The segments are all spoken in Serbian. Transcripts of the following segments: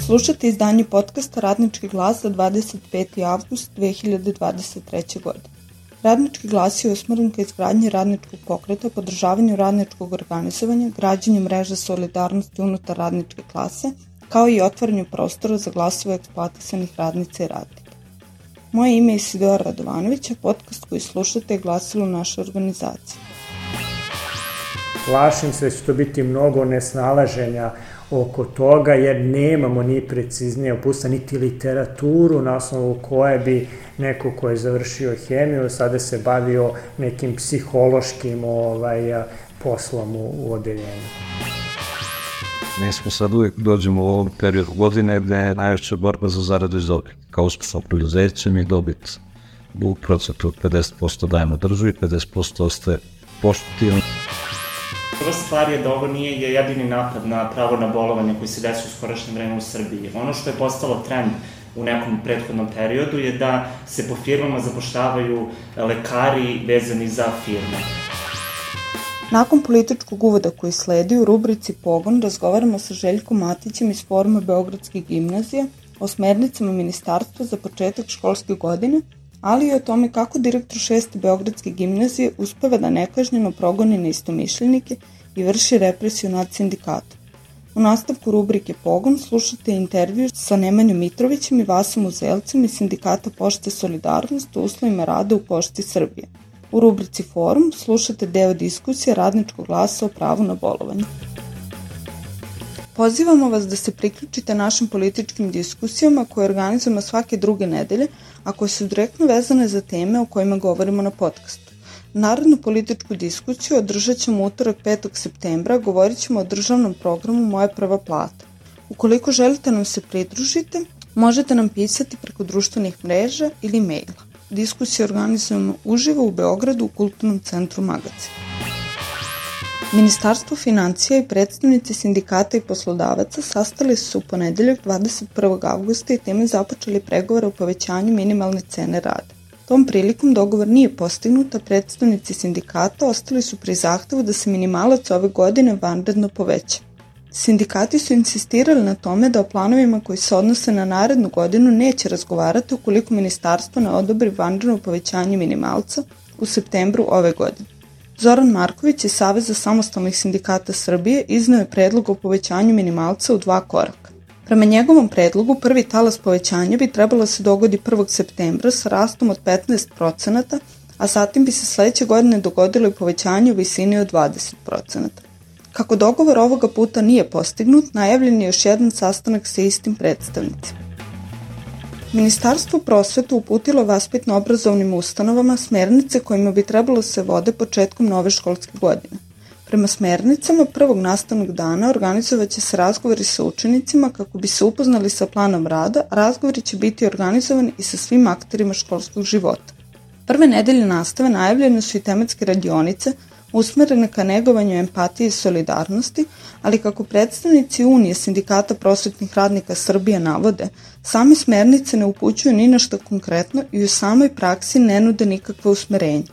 Slušate izdanje podcasta Radnički glas za 25. avgust 2023. godine. Radnički glas je usmeren ka izgradnji radničkog pokreta, podržavanju radničkog organizovanja, građenju mreža solidarnosti unutar radničke klase, kao i otvaranju prostora za glasove eksploatisanih radnica i radnika. Moje ime je Isidora Radovanović, a podcast koji slušate je glasilo naše organizacije. Plašim se da će to biti mnogo nesnalaženja oko toga, jer nemamo ni preciznije uputstva, niti literaturu na osnovu koje bi neko ko je završio hemiju sada se bavio nekim psihološkim poslom u odeljenju. Mi smo sad uvijek dođemo u ovom periodu godine gde je najveća borba za zaradu iz dobit. Kao uspešno preduzeće mi dobit u procentu od 50% dajemo državi, 50% ostaje poštovno. Prva stvar je da ovo nije jedini napad na pravo na bolovanje koji se desi u skorašnje vreme u Srbiji. Ono što je postalo trend u nekom prethodnom periodu je da se po firmama zapošljavaju lekari vezani za firme. Nakon političkog uvoda koji sledi u rubrici Pogon razgovaramo sa Željkom Matićem iz Foruma Beogradske gimnazije o smernicama ministarstva za početak školske godine, ali i o tome kako direktor 6. Beogradske gimnazije uspeva da nekažnjeno progoni neistomišljenike i vrši represiju nad sindikatom. U nastavku rubrike Pogon slušate intervju sa Nemanjom Mitrovićem i Vasom Uzelcem iz sindikata Pošte Solidarnost o uslovima rada u Pošti Srbije. U rubrici Forum slušate deo diskusije Radničkog glasa o pravu na bolovanje. Pozivamo vas da se priključite našim političkim diskusijama koje organizujemo svake druge nedelje, a koje su direktno vezane za teme o kojima govorimo na podcastu. Narednu političku diskusiju održat ćemo utorak 5. septembra, govorit ćemo o državnom programu Moja prva plata. Ukoliko želite nam se pridružiti, možete nam pisati preko društvenih mreža ili maila. Diskusiju organizujemo uživo u Beogradu u Kulturnom centru Magacin. Ministarstvo financija i predstavnici sindikata i poslodavaca sastali su se u ponedeljak 21. avgusta i time započeli pregovore o povećanju minimalne cene rada. Tom prilikom dogovor nije postignut, a predstavnici sindikata ostali su pri zahtevu da se minimalac ove godine vanredno poveća. Sindikati su insistirali na tome da o planovima koji se odnose na narednu godinu neće razgovarati ukoliko ministarstvo ne odobri vanredno povećanje minimalca u septembru ove godine. Zoran Marković iz Saveza samostalnih sindikata Srbije izneo je predlog o povećanju minimalca u 2 koraka. Prema njegovom predlogu, prvi talas povećanja bi trebalo se dogodi 1. septembra sa rastom od 15%, a zatim bi se sledeće godine dogodilo i povećanje u visini od 20%. Kako dogovor ovoga puta nije postignut, najavljen je još jedan sastanak sa istim predstavnicima. Ministarstvo prosvete uputilo vaspitno-obrazovnim ustanovama smernice kojima bi trebalo se vode početkom nove školske godine. Prema smernicama, prvog nastavnog dana organizovaće se razgovori sa učenicima kako bi se upoznali sa planom rada, a razgovori će biti organizovani i sa svim akterima školskog života. Prve nedelje nastave najavljene su i tematske radionice, usmerene ka negovanju empatije i solidarnosti, ali kako predstavnici Unije sindikata prosvetnih radnika Srbije navode, same smernice ne upućuju ni na što konkretno i u samoj praksi ne nude nikakve usmerenje.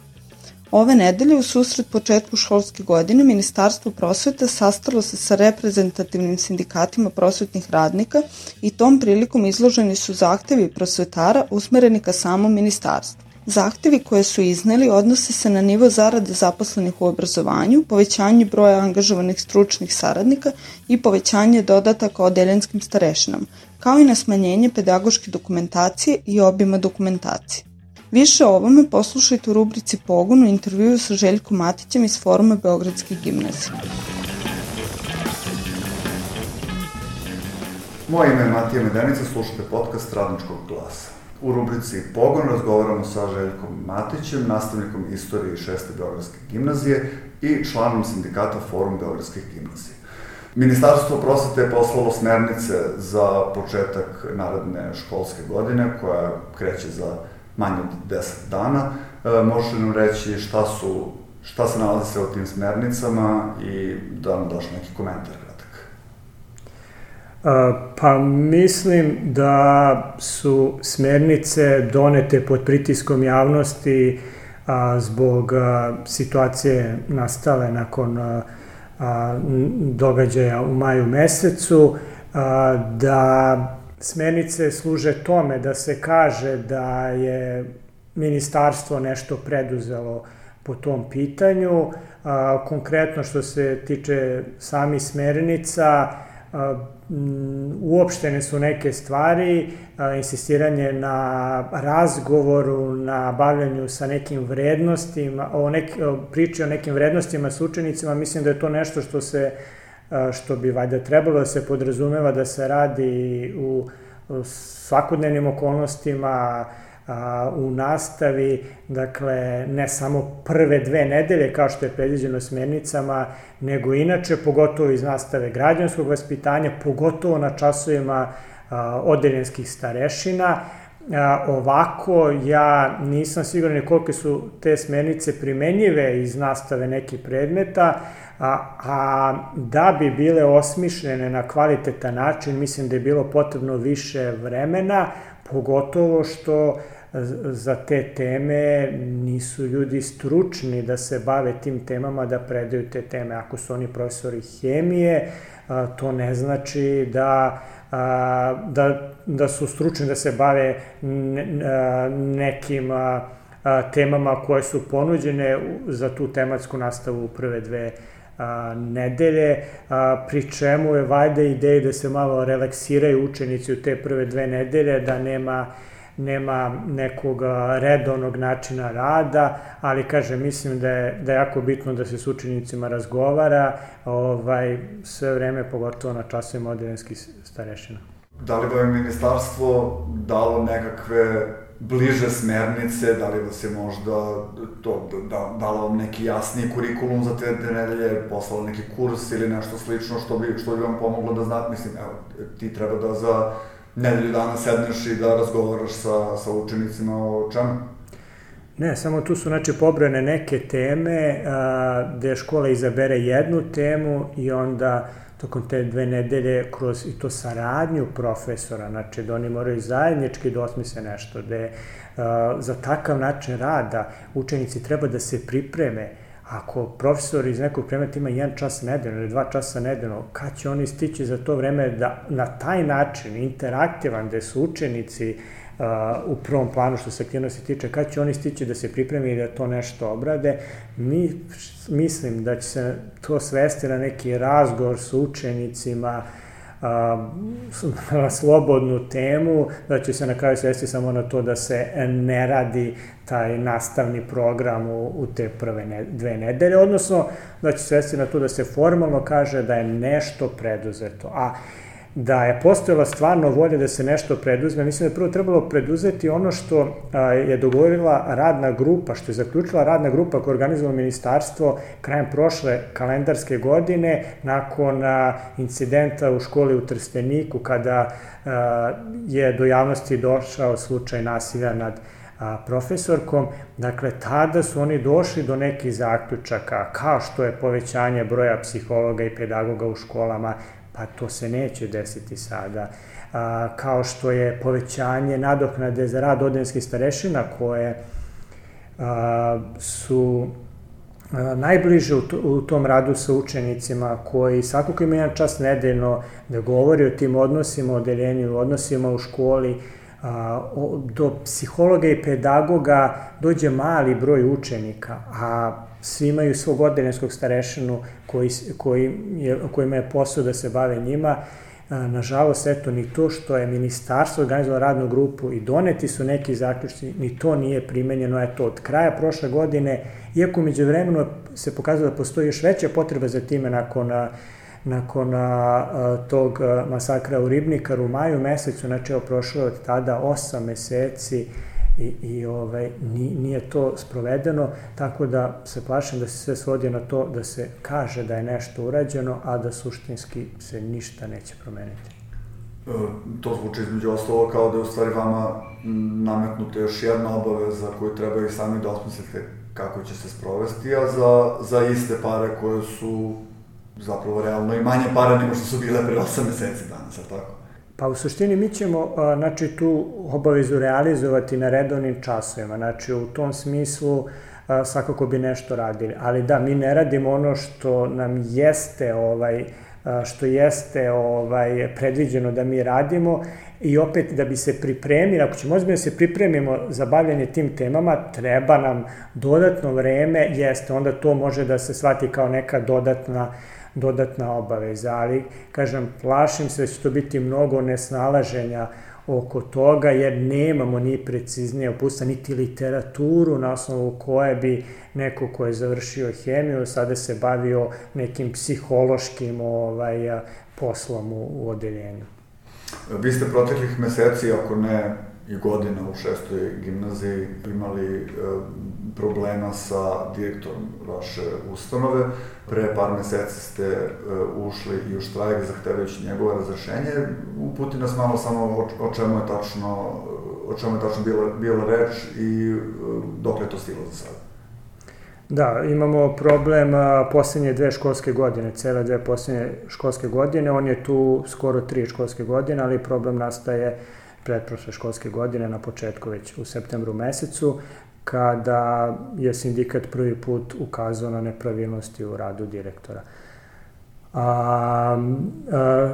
Ove nedelje, u susret početku školske godine, Ministarstvo prosvete sastalo se sa reprezentativnim sindikatima prosvetnih radnika i tom prilikom izloženi su zahtevi prosvetara usmereni ka samom ministarstvu. Zahtevi koje su izneli odnose se na nivo zarade zaposlenih u obrazovanju, povećanje broja angažovanih stručnih saradnika i povećanje dodataka odeljenskim starešinama, kao i na smanjenje pedagoške dokumentacije i obima dokumentacije. Više o ovome poslušajte u rubrici Pogon u intervjuu sa Željkom Matićem iz Foruma Beogradske gimnazije. Moje ime je Matija Medenica, slušate podcast Radničkog glasa. U rubrici Pogon razgovaramo sa Željkom Matićem, nastavnikom istorije 6. Beogradske gimnazije i članom sindikata Forum Beogradskih gimnazija. Ministarstvo prosvete je poslalo smernice za početak naredne školske godine, koja kreće za manje od 10 dana. Možeš li nam reći šta se nalazi sve u tim smernicama i da nam daš neki komentar kratak? Pa mislim da su smernice donete pod pritiskom javnosti zbog situacije nastale nakon događaja u maju mesecu. da smernice služe tome da se kaže da je ministarstvo nešto preduzelo po tom pitanju. Konkretno što se tiče samih smernica, uopštene su neke stvari, insistiranje na razgovoru, na bavljanju sa nekim vrednostima, priči o nekim vrednostima s učenicima. Mislim da je to nešto što bi valjda trebalo da se podrazumeva da se radi u svakodnevnim okolnostima, u nastavi, dakle, ne samo prve 2 nedelje kao što je predviđeno smernicama, nego inače, pogotovo iz nastave građanskog vaspitanja, pogotovo na časovima odeljenskih starešina. Ovako, ja nisam siguran koliko su te smernice primenjive iz nastave nekih predmeta, a da bi bile osmišljene na kvalitetan način, mislim da je bilo potrebno više vremena, pogotovo što za te teme nisu ljudi stručni da se bave tim temama, da predaju te teme. Ako su oni profesori hemije, to ne znači da su stručni da se bave nekim temama koje su ponuđene za tu tematsku nastavu u prve 2 nedelje, pri čemu je valjda ideja da se malo relaksiraju učenici u te prve 2 nedelje, da nema nekog redovnog načina rada, ali kažem, mislim da je jako bitno da se s učenicima razgovara sve vreme, pogotovo na časovima odeljenskih starešina. Da li vam je ministarstvo dalo nekakve bliže smernice, da li vas je možda dalo neki jasniji kurikulum za te nedelje, poslalo neki kurs ili nešto slično što bi vam pomoglo da znate, mislim, evo, ti treba da za nedelju dana sedneš i da razgovaraš sa učenicima o čemu? Ne, samo tu su pobrojane neke teme gde škola izabere jednu temu i onda tokom te 2 nedelje kroz i to saradnju profesora, znači da oni moraju zajednički da osmisle nešto, gde za takav način rada učenici treba da se pripreme. Ako profesor iz nekog predmeta ima 1 čas nedeljno ili 2 časa nedeljno, kad će oni stići za to vreme da na taj način interaktivan, gde su učenici u prvom planu što se aktivnosti tiče, kad će oni stići da se pripremi i da to nešto obrade. Mislim da će se to svesti na neki razgovor s učenicima, na slobodnu temu, da će se na kraju svesti samo na to da se ne radi taj nastavni program u te prve 2 nedelje, odnosno da će svesti na to da se formalno kaže da je nešto preduzeto. A da je postojala stvarno volja da se nešto preduzme, mislim da je prvo trebalo preduzeti ono što je dogovorila radna grupa, što je zaključila radna grupa koja je organizovala ministarstvo krajem prošle kalendarske godine, nakon incidenta u školi u Trsteniku, kada je do javnosti došao slučaj nasilja nad profesorkom. Dakle, tada su oni došli do nekih zaključaka, kao što je povećanje broja psihologa i pedagoga u školama, pa to se neće desiti sada, kao što je povećanje nadoknade za rad odeljenskih starešina koje su najbliže u tom radu sa učenicima, koji svakako ima 1 čas nedeljno da govori o tim odnosima u odeljenju, odnosima u školi. Do psihologa i pedagoga dođe mali broj učenika, a svi imaju svog odeljenskog starešinu kojima je posao da se bave njima. Nažalost, eto, ni to što je ministarstvo organizovalo radnu grupu i doneti su neki zaključci, ni to nije primenjeno. Eto, od kraja prošle godine, iako međuvremeno se pokazalo da postoji još veća potreba za time nakon tog masakra u Ribnikaru u maju mesecu, znači prošlo je od tada 8 meseci i nije to sprovedeno, tako da se plašim da se sve svodi na to da se kaže da je nešto urađeno, a da suštinski se ništa neće promeniti. To zvuči između ostalo kao da je u stvari vama nametnuta još jedna obaveza koju treba i sami da osmislite kako će se sprovesti, a za iste pare koje su zapravo realno i manje pare nego što su bile pre 8 meseci danas, ali tako? Pa u suštini mi ćemo tu obavezu realizovati na redovnim časovima, znači u tom smislu svakako bi nešto radili, ali da, mi ne radimo ono što nam jeste što jeste predviđeno da mi radimo i opet da bi se pripremili, ako ćemo ozbiljno se pripremimo za bavljanje tim temama, treba nam dodatno vreme, jeste, onda to može da se shvati kao neka dodatna obaveza, ali, kažem, plašim se da će to biti mnogo nesnalaženja oko toga, jer nemamo ni preciznije uputstva, niti literaturu na osnovu koje bi neko ko je završio hemiju sada se bavio nekim psihološkim poslom u odeljenju. Vi ste proteklih meseci, ako ne i godina u 6. gimnaziji, imali problema sa direktorom vaše ustanove. Pre par meseci ste ušli i u štrajk zahtevajući njegovo razrešenje. Uputi nas malo samo o čemu je tačno bila reč i dok je to stiglo za sada. Da, imamo problem poslednje 2 školske godine, cele 2 poslednje školske godine. On je tu skoro 3 školske godine, ali problem nastaje pretprošle školske godine, na početku već u septembru mesecu, kada je sindikat prvi put ukazao na nepravilnosti u radu direktora.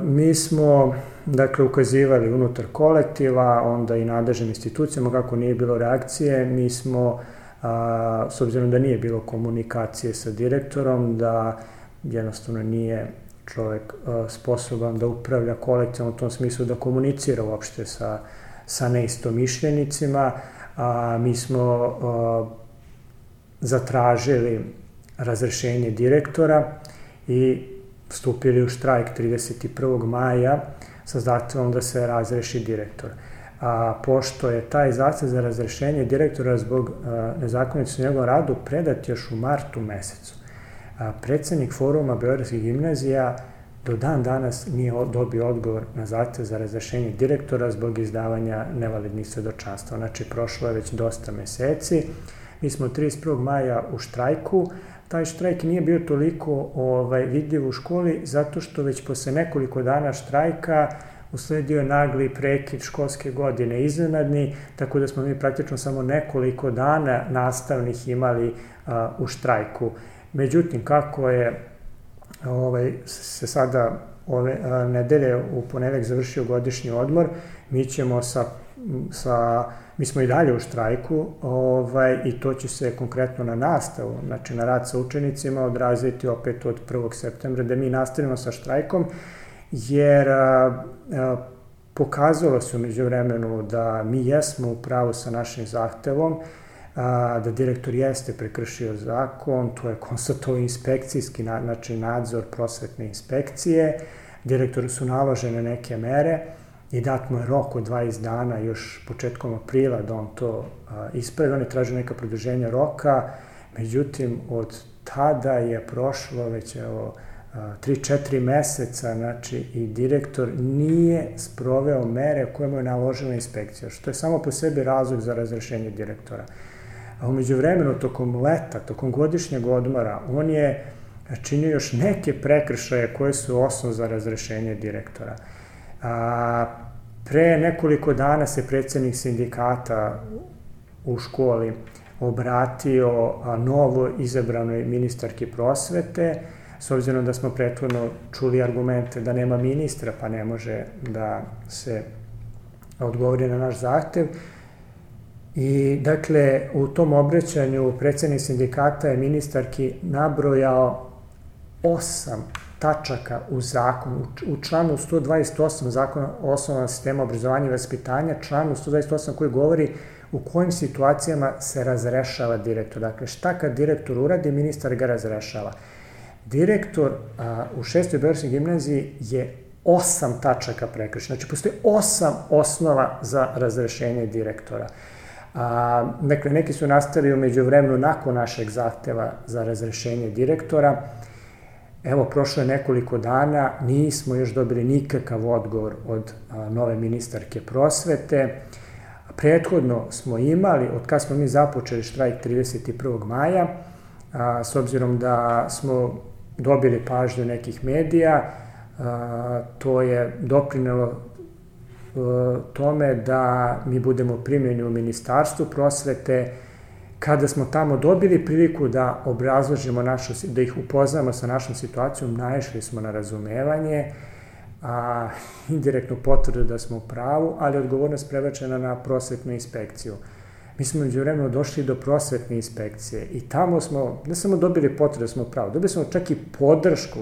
Mi smo, dakle, ukazivali unutar kolektiva, onda i nadležnim institucijama, kako nije bilo reakcije, mi smo, s obzirom da nije bilo komunikacije sa direktorom, da jednostavno nije čovek sposoban da upravlja kolektivom u tom smislu, da komunicira uopšte sa neistomišljenicima. Mi smo zatražili razrešenje direktora i vstupili u štrajk 31. maja sa zahtevom da se razreši direktor. Pošto je taj zahtev za razrešenje direktora zbog nezakonitosti u njegovom radu predat još u martu mesecu, predsednik Foruma beogradskih gimnazija do dan danas nije dobio odgovor na zahtev za razrešenje direktora zbog izdavanja nevalidnih svedočanstva. Znači, prošlo je već dosta meseci. Mi smo 31. maja u štrajku. Taj štrajk nije bio toliko vidljiv u školi zato što već posle nekoliko dana štrajka usledio nagli prekid školske godine iznenadni, tako da smo mi praktično samo nekoliko dana nastavnih imali u štrajku. Međutim, kako je se sada ove nedelje u ponedeljak završio godišnji odmor, mi ćemo mi smo i dalje u štrajku i to će se konkretno na nastavu, znači na rad sa učenicima odraziti opet od 1. septembra, da mi nastavimo sa štrajkom, jer pokazalo se umeđu vremenu da mi jesmo u pravu sa našim zahtevom, da direktor jeste prekršio zakon, to je konstatovao inspekcijski, znači nadzor prosvetne inspekcije, direktoru su naložene neke mere i dat mu je rok od 20 dana, još početkom aprila, da on to ispravi. Oni traže neka produženja roka, međutim, od tada je prošlo već 3-4 meseca, znači i direktor nije sproveo mere koje mu je naložila inspekcija, što je samo po sebi razlog za razrešenje direktora. A umeđu vremenu, tokom leta, tokom godišnjeg odmora, on je činio još neke prekršaje koje su osnov za razrešenje direktora. Pre nekoliko dana se predsednik sindikata u školi obratio novo izabranoj ministarki prosvete, s obzirom da smo prethodno čuli argumente da nema ministra, pa ne može da se odgovori na naš zahtev. I, dakle, u tom obraćanju predsednik sindikata je ministarki nabrojao 8 tačaka u zakonu. U članu 128 zakona o osnovama sistema obrazovanja i vaspitanja, članu 128 koji govori u kojim situacijama se razrešava direktor. Dakle, šta kad direktor uradi, ministar ga razrešava. Direktor u 6. beogradskoj gimnaziji je 8 tačaka prekršio. Znači, postoji 8 osnova za razrešenje direktora. Dakle, neki su nastali umeđu vremenu nakon našeg zahteva za razrešenje direktora. Evo, prošlo je nekoliko dana, nismo još dobili nikakav odgovor od nove ministarke prosvete. Prethodno smo imali, od kada smo mi započeli štrajk 31. maja, s obzirom da smo dobili pažnju nekih medija, to je doprinelo tome da mi budemo primljeni u Ministarstvu prosvete Kada smo tamo dobili priliku da obrazložimo da ih upoznamo sa našom situacijom, naišli smo na razumevanje, indirektnu potvrdu da smo u pravu, ali odgovornost prebačena na prosvetnu inspekciju. Mi smo međuvremeno došli do prosvetne inspekcije i tamo smo ne samo dobili potvrdu da smo u pravu, dobili smo čak i podršku,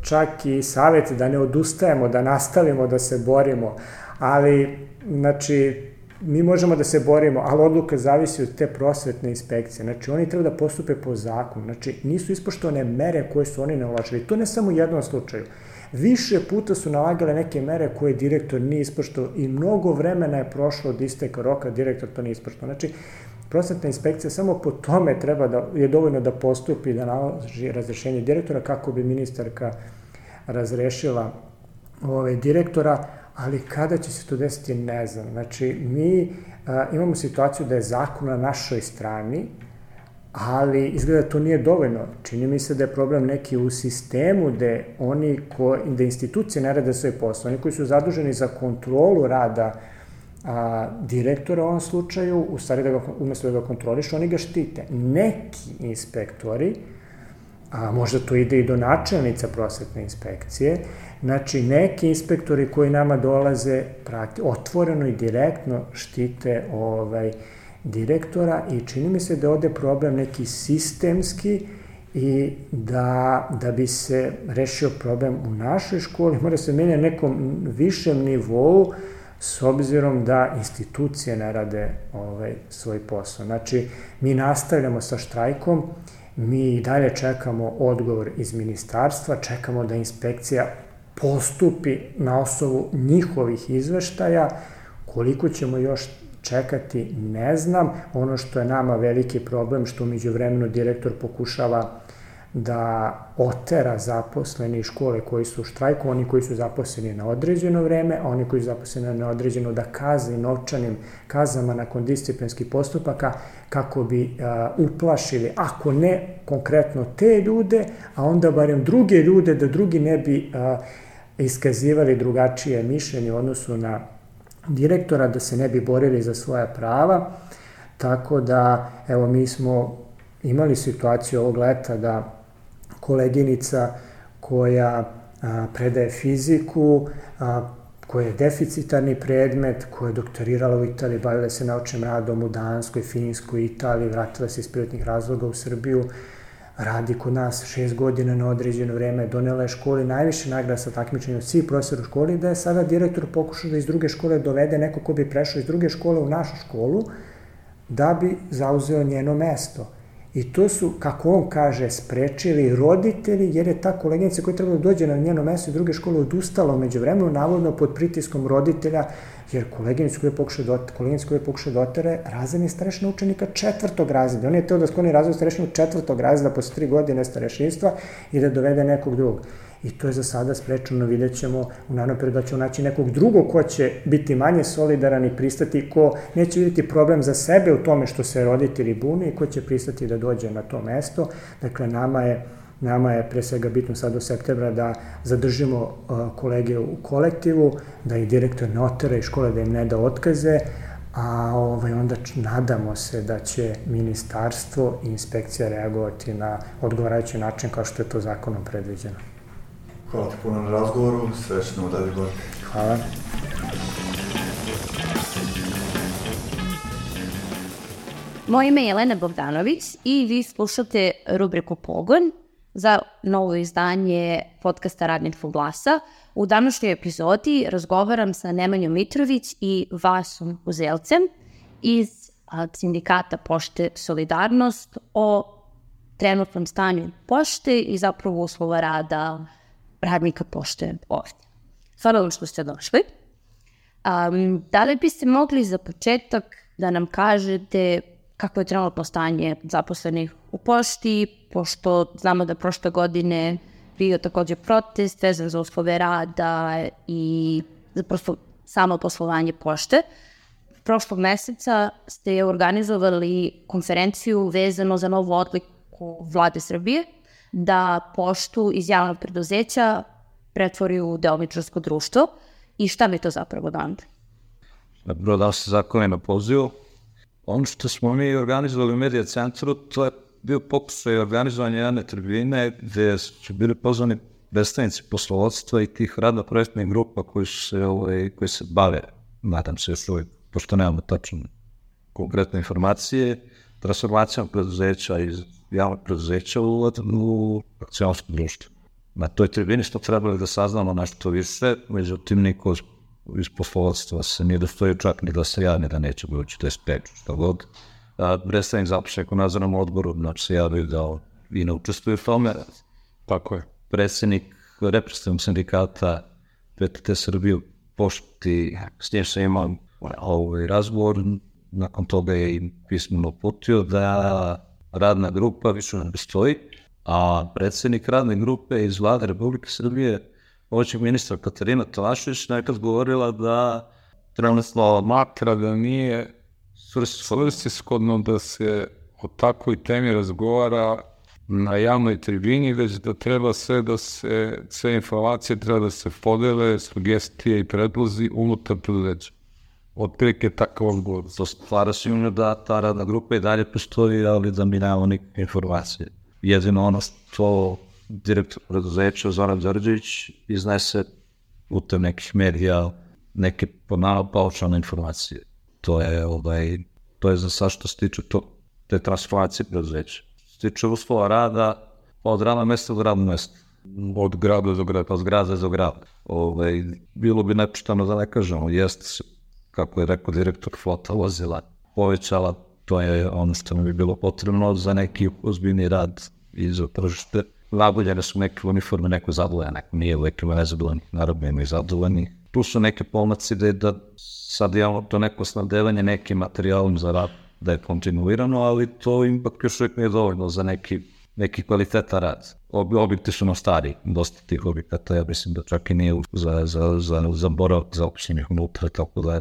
čak i savjet da ne odustajemo, da nastavimo da se borimo, ali, znači, mi možemo da se borimo, ali odluka zavisi od te prosvetne inspekcije. Znači, oni treba da postupe po zakonu. Znači, nisu ispoštovane mere koje su oni naložili. To ne samo u jednom slučaju. Više puta su nalagale neke mere koje direktor nije ispoštovao i mnogo vremena je prošlo od isteka roka, direktor to nije ispoštovao. Znači, prosvetna inspekcija samo po tome je dovoljno da postupi, da naloži razrešenje direktora kako bi ministarka razrešila direktora, ali kada će se to desiti, ne znam. Znači, mi imamo situaciju da je zakon na našoj strani, ali izgleda da to nije dovoljno. Čini mi se da je problem neki u sistemu gde institucije ne rade svoj posao. Oni koji su zaduženi za kontrolu rada direktora u ovom slučaju, u stvari umesto da ga kontrolišu, oni ga štite. Neki inspektori, a možda to ide i do načelnica prosvetne inspekcije, znači neki inspektori koji nama dolaze otvoreno i direktno štite direktora i čini mi se da je ovde problem neki sistemski i da bi se rešio problem u našoj školi, mora se menja na nekom višem nivou s obzirom da institucije ne rade svoj posao. Znači, mi nastavljamo sa štrajkom, mi dalje čekamo odgovor iz ministarstva, čekamo da inspekcija postupi na osnovu njihovih izveštaja. Koliko ćemo još čekati, ne znam. Ono što je nama veliki problem, što umeđu vremenu direktor pokušava da otera zaposleni škole koji su u štrajku, oni koji su zaposleni na određeno vreme, a oni koji su zaposleni na neodređeno da kazni novčanim kaznama nakon disciplinskih postupaka kako bi uplašili, ako ne konkretno te ljude, a onda barem druge ljude, da drugi ne bi iskazivali drugačije mišljenje u odnosu na direktora, da se ne bi borili za svoja prava. Tako da, evo, mi smo imali situaciju ovog leta da koleginica koja predaje fiziku, koja je deficitarni predmet, koja je doktorirala u Italiji, bavila se naučnim radom u Danskoj, Finskoj, Italiji, vratila se iz privatnih razloga u Srbiju, radi kod nas 6 godina na određeno vreme, donela je školi najviše nagrada sa takmičenjem od svih profesora u školi, da je sada direktor pokušao da iz druge škole dovede neko ko bi prešao iz druge škole u našu školu, da bi zauzeo njeno mesto. I to su, kako on kaže, sprečili roditelji, jer je ta koleginica koja je trebala da dođe na njeno mesto iz druge škole odustala umeđu vremenu, navodno pod pritiskom roditelja, jer koleginica koja je pokušao da otere razredni starešina učenika 4. razreda. On je teo da skloni razred starešinu 4. razreda posle 3 godine starešinstva i da dovede nekog drugog. I to je za sada sprečeno, vidjet ćemo u narednom periodu da ćemo naći nekog drugog ko će biti manje solidaran i pristati, ko neće vidjeti problem za sebe u tome što se roditelji bune i ko će pristati da dođe na to mesto. Dakle, nama je pre svega bitno sad do septembra da zadržimo kolege u kolektivu, da ih direktor ne otera iz škole, da im ne da otkaze, a onda nadamo se da će ministarstvo i inspekcija reagovati na odgovarajući način kao što je to zakonom predviđeno. Hvala ti puno na razgovoru, srećno u dalje borbi. Hvala. Moje ime je Jelena Bogdanović i vi slušate rubriku Pogon za novo izdanje podcasta Radničkog glasa. U današnjoj epizodi razgovaram sa Nemanjom Mitrović i Vasom Uzelcem iz sindikata Pošte Solidarnost o trenutnom stanju pošte i zapravo uslova rada radnika pošte ovdje. Hvala vam što ste došli. Da li biste mogli za početak da nam kažete kako je trenutno stanje zaposlenih u pošti, pošto znamo da prošle godine bio takođe protest vezan za uslove rada i prosto samo poslovanje pošte. Prošlog meseca ste organizovali konferenciju vezano za novu odluku Vlade Srbije da poštu iz javnog preduzeća pretvori u delničarsko društvo. I šta bi to zapravo donalo? Dobro, dao se zakone na pozivu. Ono što smo mi organizovali u Medija centru, to je bio pokušaj organizovanja jedne tribine gde su bili pozvani predstavnici poslovodstva i tih radno-projektnih grupa koji se bave, nadam se još uvijek, pošto nemamo tačno konkretne informacije, transformacijom preduzeća iz javnog preduzeća u akcionarsko društvo. Na toj tribini smo trebali da saznamo nešto više, međutim niko iz poslovodstva se nije dostojio čak ni da se javni da neće budući, to je speču, što god. Predstavnik započenog u nadzornom odboru, znači se javio da i ne učestvuje u tome. Tako je. Predsjednik reprezentativnog sindikata PTT Srbije u pošti, s njim sam imao razgovor, nakon toga je i pismeno uputio da radna grupa više ne postoji, a predsjednik radne grupe iz Vlade Republike Srbije, pomoćnik ministra Katarina Tomašević, nekad govorila da trenutno smatra da nije svrsishodno da se o takvoj temi razgovara na javnoj tribini, već da treba sve informacije treba da se podele, sugestije i predlozi unutar preduzeća. Otprilike takav odgovor. To stvara sumnju da ta radna grupa i dalje postoji, ali da mi nemamo nikakve informacije. Jedino ono što direktor preduzeća Zoran Đorđević iznese putem nekih medija, neke paušalne informacije. To je za sad što se tiče te transformacije preduzeća. Što se tiče uslova rada, od radnog mesta do radnog mesta. Od grada do grada. Od grada do grada. Bilo bi nepošteno da ne kažemo, jeste, kako je rekao direktor, flota vozila povećala, to je ono što mi bi bilo potrebno za neki ozbiljni rad i za tržište. Naboljene su neke uniforme, neko zadovoljan, neko nije, uvijek ima nezadovoljni, naravno ima i zadovoljni. Tu su neke pomaci da sad imamo to neko snabdevanje nekim materijalom za rad, da je kontinuirano, ali to ipak još uvijek nije dovoljno za neki kvalitetan rad. Objekti su nam stari, dosta tih objekata, ja mislim da čak i nije za boravak zaposlenih unutra, tako da je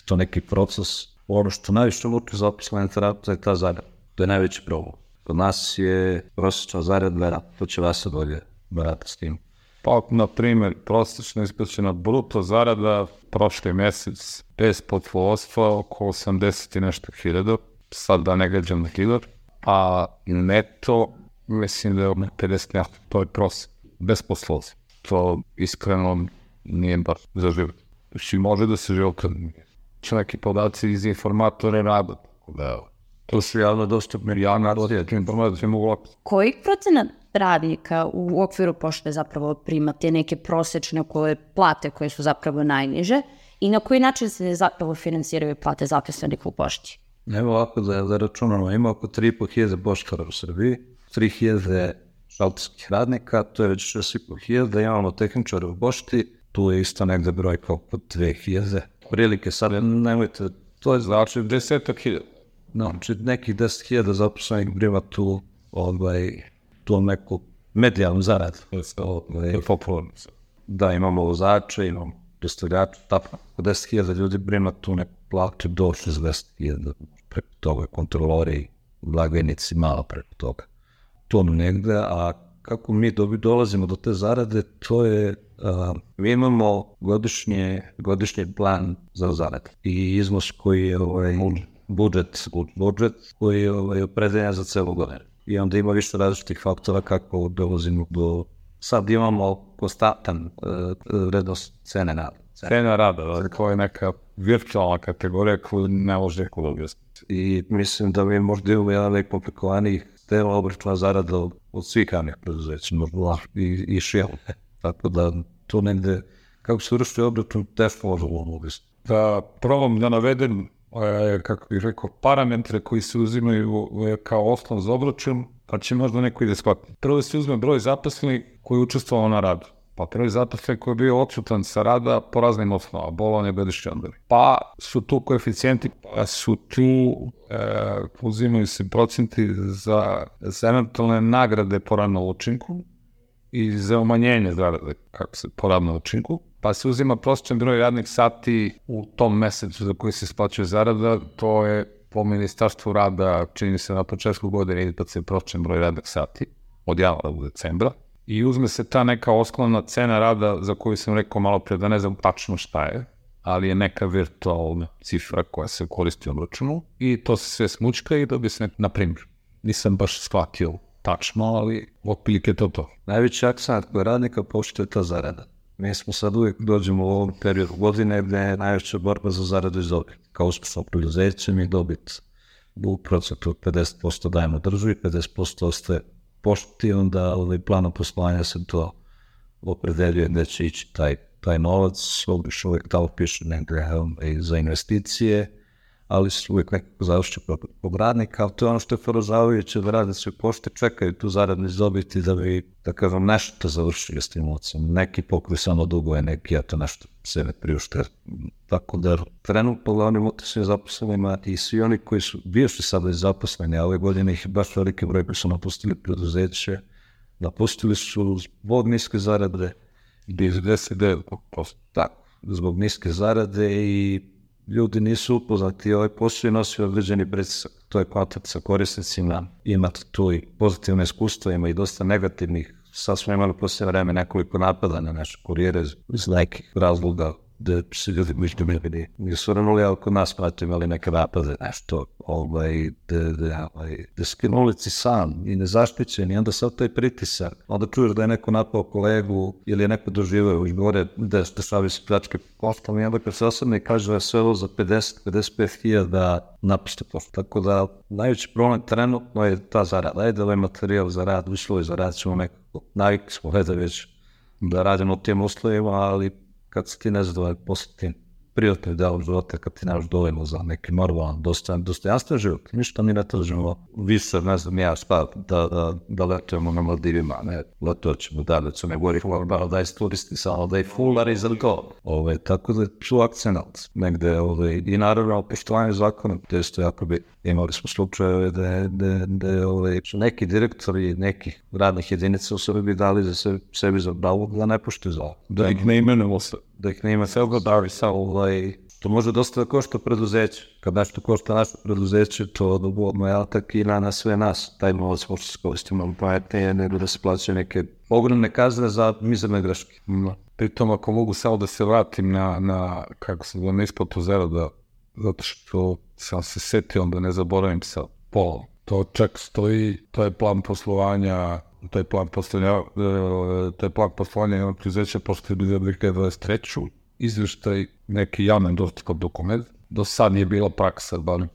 to neki proces. Ono što najviše muči zaposlene terapeuta je ta zarada, to je najveći problem. Kod nas je prosječna zarada, to će vas se bolje barati s tim. Pa, na primjer, prosječna isplaćena bruto zarada prošli mjesec bez poslovodstva oko 80 i nešto hiljada, sad da ne gađam na hiljad, a neto mislim da je 50 nešto, to je prosjek, bez poslovodstva. To iskreno nije baš za život. Znači, može da se život će neki podaci iz informatora rada, to su javno dostupne informacije mogu lako. Koji procenat radnika u okviru pošte zapravo prima te neke prosečne plate koje su zapravo najniže i na koji način se zapravo finansiraju plate zaposlenih u pošti? Evo ovako da računamo, ima oko 3.500 poštara u Srbiji, 3.000 šalterskih radnika, to je već 6.500, imamo tehničara u pošti, tu je isto negde brojka oko 2.000. Prilike sad, nemojte, to je znači 10.000. Znači, nekih 10.000 zaposlenih prima tu neku medijalnu zaradu. Popularno. Da, imamo vozače, imamo dostavljače, tako 10.000 ljudi prima tu neku platu do 60.000, preko toga kontrolori, blagajnici, malo preko toga. To negde, a kako mi dolazimo do te zarade, to je, mi imamo godišnji plan za zarade i iznos koji je budžet koji je opredeljen za celu godinu. I onda ima više različitih faktora kako dolazimo do... Sad imamo konstantan vrednost cene rada. Cena rada, to je neka virtualna kategorija koju ne može neko dobiti. I mislim da mi možda imamo jedan najkomplikovanijih tema obračuna zarada od svih javnih preduzeća, i šijel. Tako da to negde, kako se vrši obračun, teško možemo uvesti. Da probam da navedem, kako bih rekao, parametre koji se uzimaju kao osnov za obračun, pa će možda neko ide shvatiti. Prvo se uzme broj zaposlenih koji je učestvovao na radu. Pa broj zaposlenih koji je bio odsutan sa rada po raznim osnovama, bolovanje, godišnji odmori. Pa su tu koeficijenti, pa su tu, uzimaju se procenti za eventualne nagrade po radnom učinku i za umanjenje zarade po radnom učinku. Pa se uzima prosječan broj radnih sati u tom mesecu za koji se isplaćuje zarada, to je po Ministarstvu rada, čini se na početku godine, ide se prosječan broj radnih sati od januara do decembra. I uzme se ta neka osnovna cena rada za koju sam rekao malo pre da ne znam tačno šta je. ali je neka virtualna cifra koja se koristi u obračunu i to se sve smučka i dobije se, na primjer, nisam baš shvatio tačno, ali otprilike to. Najveći akcent koji radnika pošto je ta zarada. Mi smo sad uvijek dođemo u ovom periodu godine gdje je najveća borba za zaradu iz dobiti. Kao uspješno preduzeće mi dobit u procentu od 50% dajemo državi, 50% ostaje pošti, onda planom poslovanja se to opredeljuje gdje će ići taj novac, obično uvijek tamo piše negdje za investicije, ali su uvijek nekako završi kod radnika, ali to je ono što je poražavajuće da radnici u pošti čekaju tu zaradu iz dobiti da bi, da kažem, nešto završili s tim novcem. Neki pokriju samo dugove, neki ja to nešto sebe priušte. Tako da trenutno glavnim utjecima zaposlenima i svi oni koji su bivši sada zaposleni, a ove godine ih je baš veliki broj koji su napustili preduzeće, napustili su zbog niske zarade, 99%. Tako, zbog niske zarade i ljudi nisu upoznati, ovaj posao je nosio određeni pritisak, to je kontakt sa korisnicima, imate tu i pozitivne iskustva, ima i dosta negativnih. Sad smo imali poslije vreme nekoliko napada na naše kurijere iz nekih razloga da se ljudi nisu ranuli, ali kod nas smo imali neke napade, nešto, da skinuli si sam i nezaštićen i onda sad taj pritisak, onda čuješ da je neko napao kolegu ili je neko doživao i gore da šavi se pljačke poštom i onda kad se osadne kaže da je sve ovo za 50-55 hiljada napušte poštom. Tako da najveći problem trenutno je ta zarada, je da ovaj materijal za rad, uslovi za rad ćemo nekako, navikli smo već da radimo u tim uslovima, ali kad se ti nezadovoljan posle tim privatnim delom života, kad ti nemaš dovoljno za neki normalan, dostojanstven život, ništa mi ne tražimo više, ne znam ja šta, da letujemo na Maldivima, ne, letoćemo da se ne govori da je turisti samo, da je fulari za to. Tako da su akcenat negde i naravno poštovanje zakona, to je isto jako bi imali smo slučajeve da su neki direktori nekih radnih jedinica u sebi dali za sebi za pravo da ne poštuju zakon. Da ih ne imenujemo se. Da ih ne ima sve godari sa to može dosta da košta preduzeće. Kad nešto košta naše preduzeće, to odobodno je atak i na sve nas. Taj novac možda se koristi malo pametnije nego da se plaćaju neke ogromne kazne za mizerne greške. Pritom ako mogu samo da se vratim na kako se zove, na isplatu zarada, zato što sam se setio da ne zaboravim sa polom. To čak stoji, to je plan poslovanja, to je plan poslovanja jednog preduzeća pošto je bilo 2023. Izveštaj, neki javno dostupan dokument. Do sad je bila praksa, bar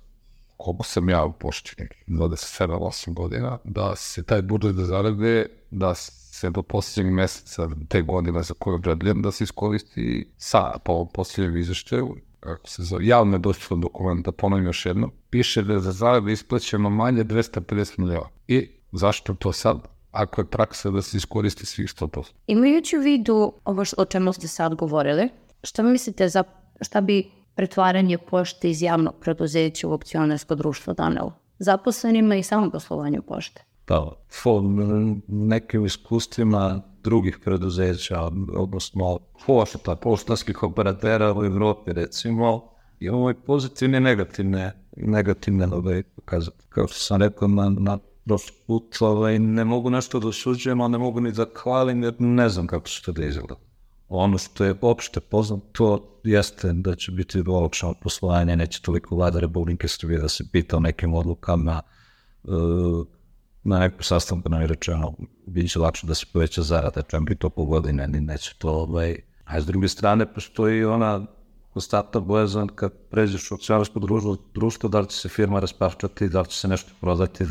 koliko sam ja u pošti, 27-8 godina, da se taj budžet za zarade, da se do posljednjeg mjeseca te godine za koju određujem, da se iskoristi po ovom posljednjem izveštaju, kako se zove, javno dostupan dokument, da ponovim još jedno, piše da je za zarade isplaćeno manje 250 miliona. I zašto to sad? Ako je praksa da se iskoristi svih 100%. Imajući u vidu ovo o čemu ste sad govorili, šta mislite šta bi pretvaranje pošte iz javnog preduzeća u akcionarsko društvo donelo zaposlenima i samom poslovanju pošte? Pa, nekim iskustvima drugih preduzeća, odnosno poštanskih operatera u Evropi, recimo, imamo i pozitivne i negativne pokazati. Kao što sam rekao na prošli put, ne mogu nešto da osuđujem, ali ne mogu ni da hvalim, jer ne znam kako će to da izgleda. Ono što je opšte poznato jeste da će biti olakšano poslovanje, neće toliko Vlada Republike Srbije da se pita o nekim odlukama, na nekom sastanku nam je rečeno, bit će lakše da se poveća zarada, čem bi to po godine, neće to, a s druge strane postoji ona konstantna bojazan kad pređeš u akcionarsko društvo, da li će se firma rasparčati, da li će se nešto prodati,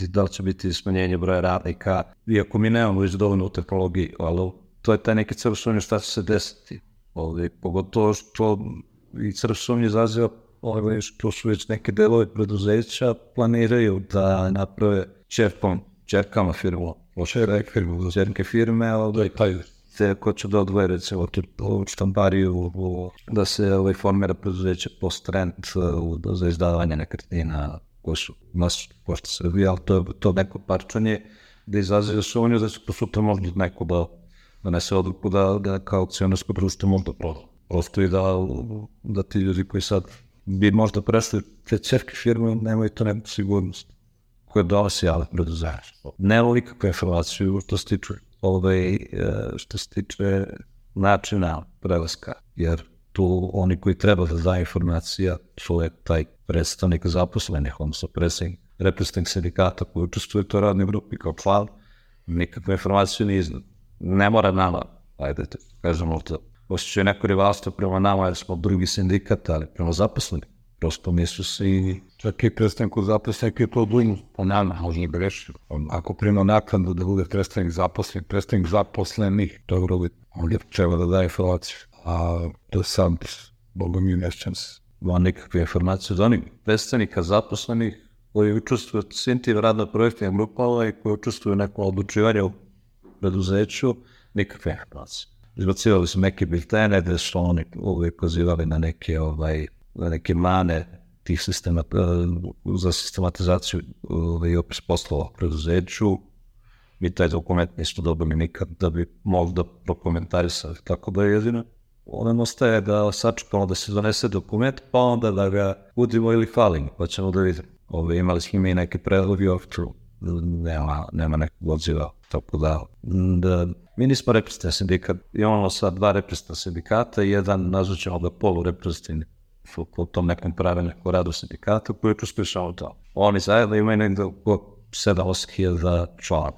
da li će biti smanjenje broja radnika, iako mi nemamo već dovoljno u tehnologiji, ali to je taj neki crv sumnje šta će se desiti. Pogotovo što i crv sumnje izaziva što su već neke delove preduzeća planiraju da naprave čerkama firmu, čerke firme, te ko će da odvoje recimo štampariju, da se formira preduzeće post-rent za izdavanje nekretnina koje su nas pošto Srbije, ali to neko parčanje da izaziva sumnju da će to sutra možda neko da donese odluku da kao akcionarsko društvo možda proda. Prosto i da ti ljudi koji sad bi možda prešli te čerke firme nemaju to neku sigurnost koja donosi javne preduzeće. Nema nikakve informaciju što se tiče načina prelaska, jer tu oni koji treba da da informacija, to je taj predstavnik zaposlenih, odnosno reprezentativnih sindikata koji učestvuje u toj radnoj grupi kao član, nikakvu informaciju nije iznad. Ne mora nama, ajde, kažemo to, osjećaju neko rivalstvo prema nama jer smo drugi sindikat, ali prema zaposlenih. Prosto mislu se i... Čak i predstavniku zaposlenih je to odlično po nama, možda ne greši. Ako prima naknadu da bude predstavnik zaposlenih, to je vrlo bitno. On je treba da daje informaciju. A do sad, Boga mi nešćam se. Ima nikakve informacije od onih predstavnika zaposlenih koji učestvuju u svim tim radno-projektnim grupama i koji učestvuju u nekom odlučivanju u preduzeću, nikakve informacije. Izbacivali su neke biltene gde su oni uvijek pozivali na neke mane tih za sistematizaciju i opis poslova u preduzeću. Mi taj dokument nismo dobili nikad da bi mogli da prokomentarisali. Tako da je jedino ono ostaje da sačekamo da se donese dokument, pa onda da ga udimo ili hvalimo, pa ćemo da vidimo. Imali smo i neke predlogi, nema nekog odziva. Tako da mi nismo reprezentativni sindikat, imamo sad 2 reprezentativna sindikata i jedan, nazvaćemo ga polureprezentativni, po tom nekom pravilniku radu sindikata koji učestvuju samo to. Oni zajedno imaju negdje oko 7-8 hiljada člana.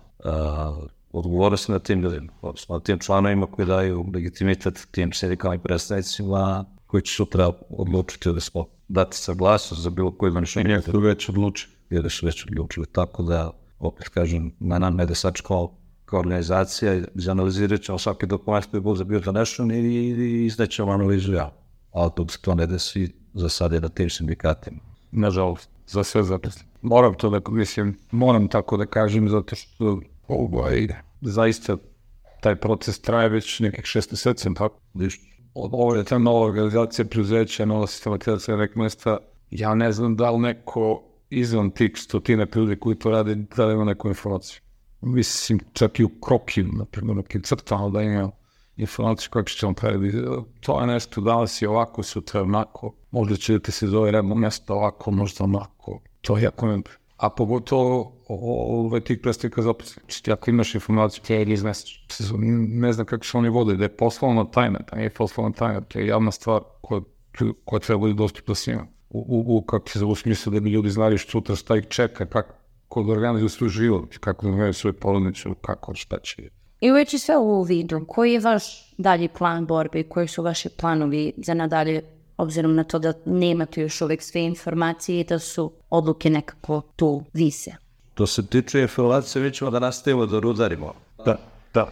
Odgovorili se na tim ljudima, na tim članovima koji daju legitimitet tim sindikalnim predstavnicima koji će sutra odlučiti da smo dati saglasnost za bilo koji donošenje. Jer su već odlučili. Jer su već odlučili, tako da, opet kažem, na nama je da sačekamo kao organizacija, izanalizirat ćemo svaki dokument koji bude bio donešen i iznećemo analizu ja. Ali dok se to ne desi, za sad je na tim sindikatima. Nažalost, za sve zaposle. Moram tako da kažem, zato što zaista taj proces traje već nekih 6 meseci, tako? Ovo je ta nova organizacija preduzeća, nova sistematizacija nekog mesta. Ja ne znam da li neko izvan tih 100 ljudi koji to rade, da li ima neku informaciju. Mislim, čak i u krokim, naprimjer, nekim crtama da ima informaciju kako će vam prediti. To je nešto, danas je ovako, sutra onako. Možda će ti se zove redno mjesto ovako, možda onako. To je jako ne... A pogotovo tih predstavnika zaposlenih. Ako imaš informaciju, ti je izmestiš. Ne znam kako se oni vode, da je poslovna tajna, da nije poslovna tajna, to je javna stvar koja treba biti dostupna svima. Kako se u smislu da bi ljudi znali sutra šta ih čeka, kako da organizuju svoj život, kako da organizuju svoje porodicu, kako šta će. I uveći sve u vidu, koji je vaš dalji plan borbe i koji su vaši planovi za nadalje, obzirom na to da nemate još uvijek sve informacije i da su odluke nekako tu vise? To se tiče informacije, mi ćemo da nastavimo da rudarimo. Da,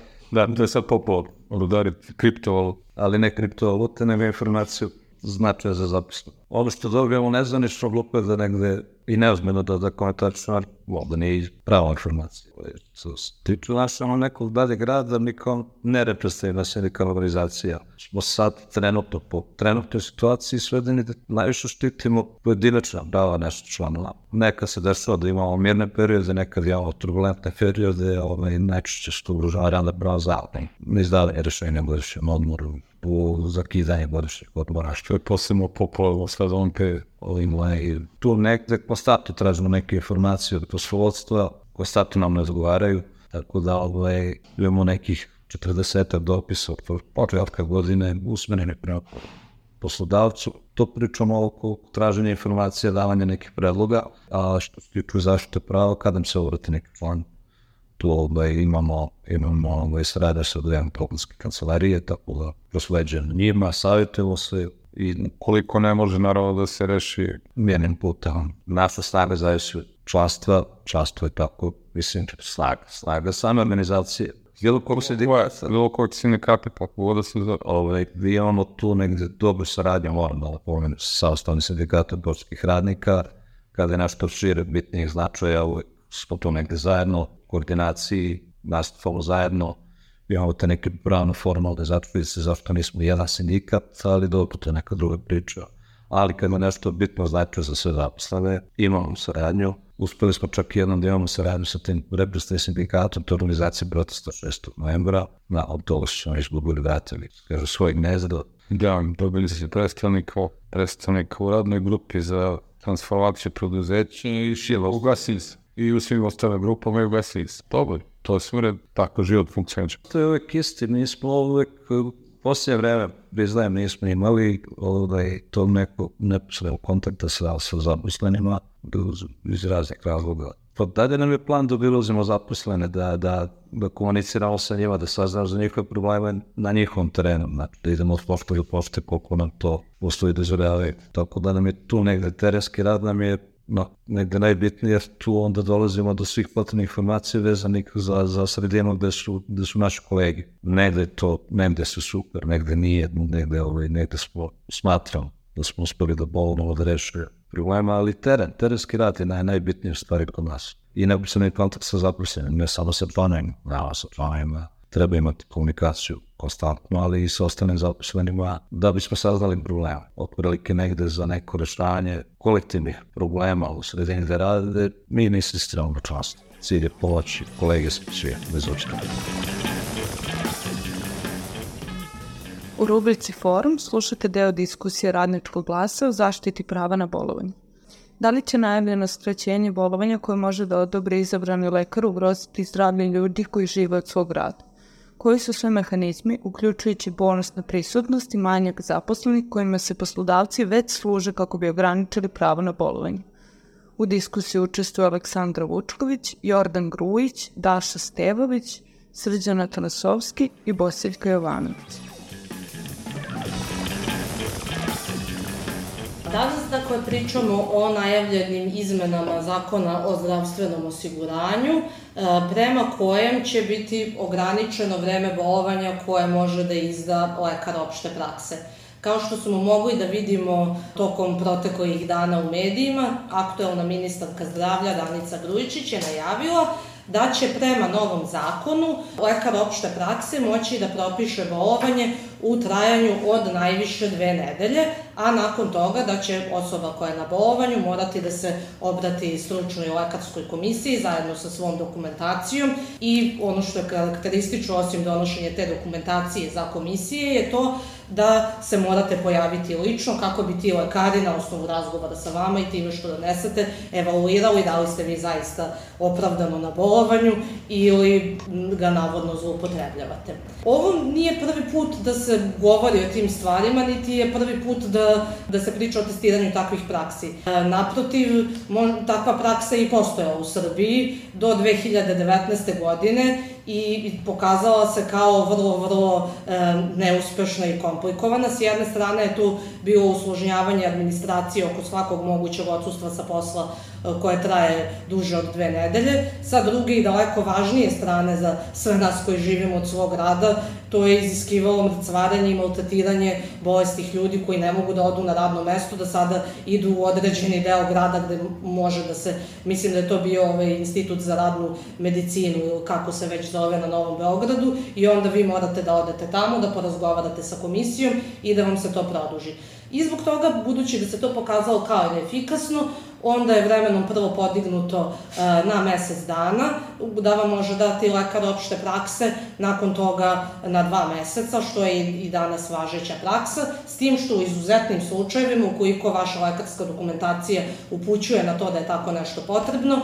to je sad popolo rudariti kriptovalutu. Ali ne kriptovalute, nego informaciju značaja za zapisno. Ono što dobijemo nezvanično glupo da negde i neozmeno da komentarično, da nije prava informacija. Što se tiče našeg nekog daljeg rada, nikom ne reprezentativna sindikalna organizacija. Smo sad trenutno po trenutnoj situaciji svedeni da najviše štitimo pojedinačna prava naših članova. Nekad se dešava da imamo mirne periode, nekad imamo turbulentne periode, najčešće što ugrožava radna prava zavodne. Izdavanje rešenja godišnjem odmoru, u zakidanje godišnjeg odmora, što je posebno popularno sad ovom periodu. Tu nekde konstantno tražimo neke informacije od poslovodstva, konstantno nam ne odgovaraju, tako da imamo nekih 40 dopisa od početka godine usmerene prema poslodavcu. To pričamo oko traženja informacija, davanja nekih predloga, a što se tiče zaštite prava, kada nam se obrati neki član, tu imamo saradnju sa dvijema poklanjske kancelarije, tako da prosleđujemo njima, savjetujemo se. I koliko ne može naravno da se reši mirnim putem. Naša snaga zavisi od članstva, članstvo je tako, mislim, snaga same organizacije. Bilo kog sindikata, kako da se zove. Vi imamo tu negde dobru saradnju, moram da napomenu, sa ostalnim sindikatom poštanskih radnika, kada je nešto šire bitnijih značaja, smo tu negde zajedno, u koordinaciji, nastupamo zajedno. Imamo te neke pravno-formalne zatvornice, zašto nismo jedan sindikat, ali dobro, to je neka druga priča. Ali kad ima nešto bitno značaja za sve zaposlene, imamo saradnju. Uspeli smo čak jednom da imamo saradnju sa tim reprezentativnim sindikatom, to je organizacija protesta 6. novembra, od toga što smo izgubili vratili, kažu, svoj gnezdo. Da, dobili se predstavnika u radnoj grupi za transformaciju preduzeća i ugasili se. I u svim ostalim grupama i ugasili se. Dobro. To je sve tako život funkcionira. To je uvek isti, mi smo uvek posljednje vreme, priznajem, nismo imali tog nekog neposrednog kontakta sa zaposlenima iz raznih razloga. Pa dalje nam je plan da obilazimo zaposlene, da komuniciramo sa njima, da saznamo za njihove probleme na njihovom terenu, znači da idemo od pošte do pošte koliko nam to uslovi dozvoljavaju. Tako da nam je tu negde terenski rad nam je negde najbitnije, jer tu onda dolazimo do svih potrebnih informacija vezanih za sredinu gde su naši kolegi. Negde su super, negde nije, negde smatramo da smo uspeli da bolno da rešuje problema, ali terenski rad je najbitnije stvari kod nas. I neposredni kontakt sa zaposlenim, ne samo sa članovima, treba imati komunikaciju konstantno, ali i sa ostalim zaposlenima da bismo saznali problema. Otprilike negde za neko rešavanje kolektivnih problema u sredini gde rade, mi ne insistiramo na članstvu. Cilj je pomoći kolege svi, bez obzira. U rubrici Forum slušate deo diskusije Radničkog glasa o zaštiti prava na bolovanje. Da li će najavljeno skraćenje bolovanja koje može da odobre izabrani lekar ugroziti zdravlje ljudi koji žive od svog rada? Koji su sve mehanizmi, uključujući bonus na prisutnost i manjak zaposlenih kojima se poslodavci već služe kako bi ograničili pravo na bolovanje? U diskusiji učestvuju Aleksandra Vučković, Jordan Grujić, Daša Stevović, Srđan Atanasovski i Bosiljka Jovanović. Danas, pričamo o najavljenim izmenama Zakona o zdravstvenom osiguranju, prema kojem će biti ograničeno vreme bolovanja koje može da izda lekar opšte prakse. Kao što smo mogli da vidimo tokom proteklih dana u medijima, aktuelna ministarka zdravlja Danica Grujičić je najavila da će prema novom zakonu lekar opšte prakse moći da propiše bolovanje u trajanju od najviše 2 nedelje, a nakon toga da će osoba koja je na bolovanju morati da se obrati stručnoj lekarskoj komisiji zajedno sa svom dokumentacijom i ono što je karakteristično osim donošenja te dokumentacije za komisije je to da se morate pojaviti lično kako bi ti lekari na osnovu razgovora sa vama i time što donesete evaluirali da li ste vi zaista opravdano na bolovanju ili ga navodno zloupotrebljavate. Ovo nije prvi put da se govori o tim stvarima, niti je prvi put da se priča o testiranju takvih praksi. Naprotiv, takva praksa je i postojala u Srbiji do 2019. godine i pokazala se kao vrlo neuspešna i komplikovana. S jedne strane je tu bilo usložnjavanje administracije oko svakog mogućeg odsustva sa posla koje traje duže od 2 nedelje. Sa druge i daleko važnije strane za sve nas koji živimo od svog rada, to je iziskivalo mrcvarenje i maltretiranje bolestih ljudi koji ne mogu da odu na radno mesto, da sada idu u određeni deo grada gde može da se, mislim da je to bio institut za radnu medicinu ili kako se već zove na Novom Beogradu i onda vi morate da odete tamo, da porazgovarate sa komisijom i da vam se to produži. I zbog toga, budući da se to pokazalo kao neefikasno, onda je vremenom prvo podignuto na mesec dana, da vam može dati lekar opšte prakse, nakon toga na 2 meseca, što je i danas važeća praksa, s tim što u izuzetnim slučajevima, ukoliko vaša lekarska dokumentacija upućuje na to da je tako nešto potrebno,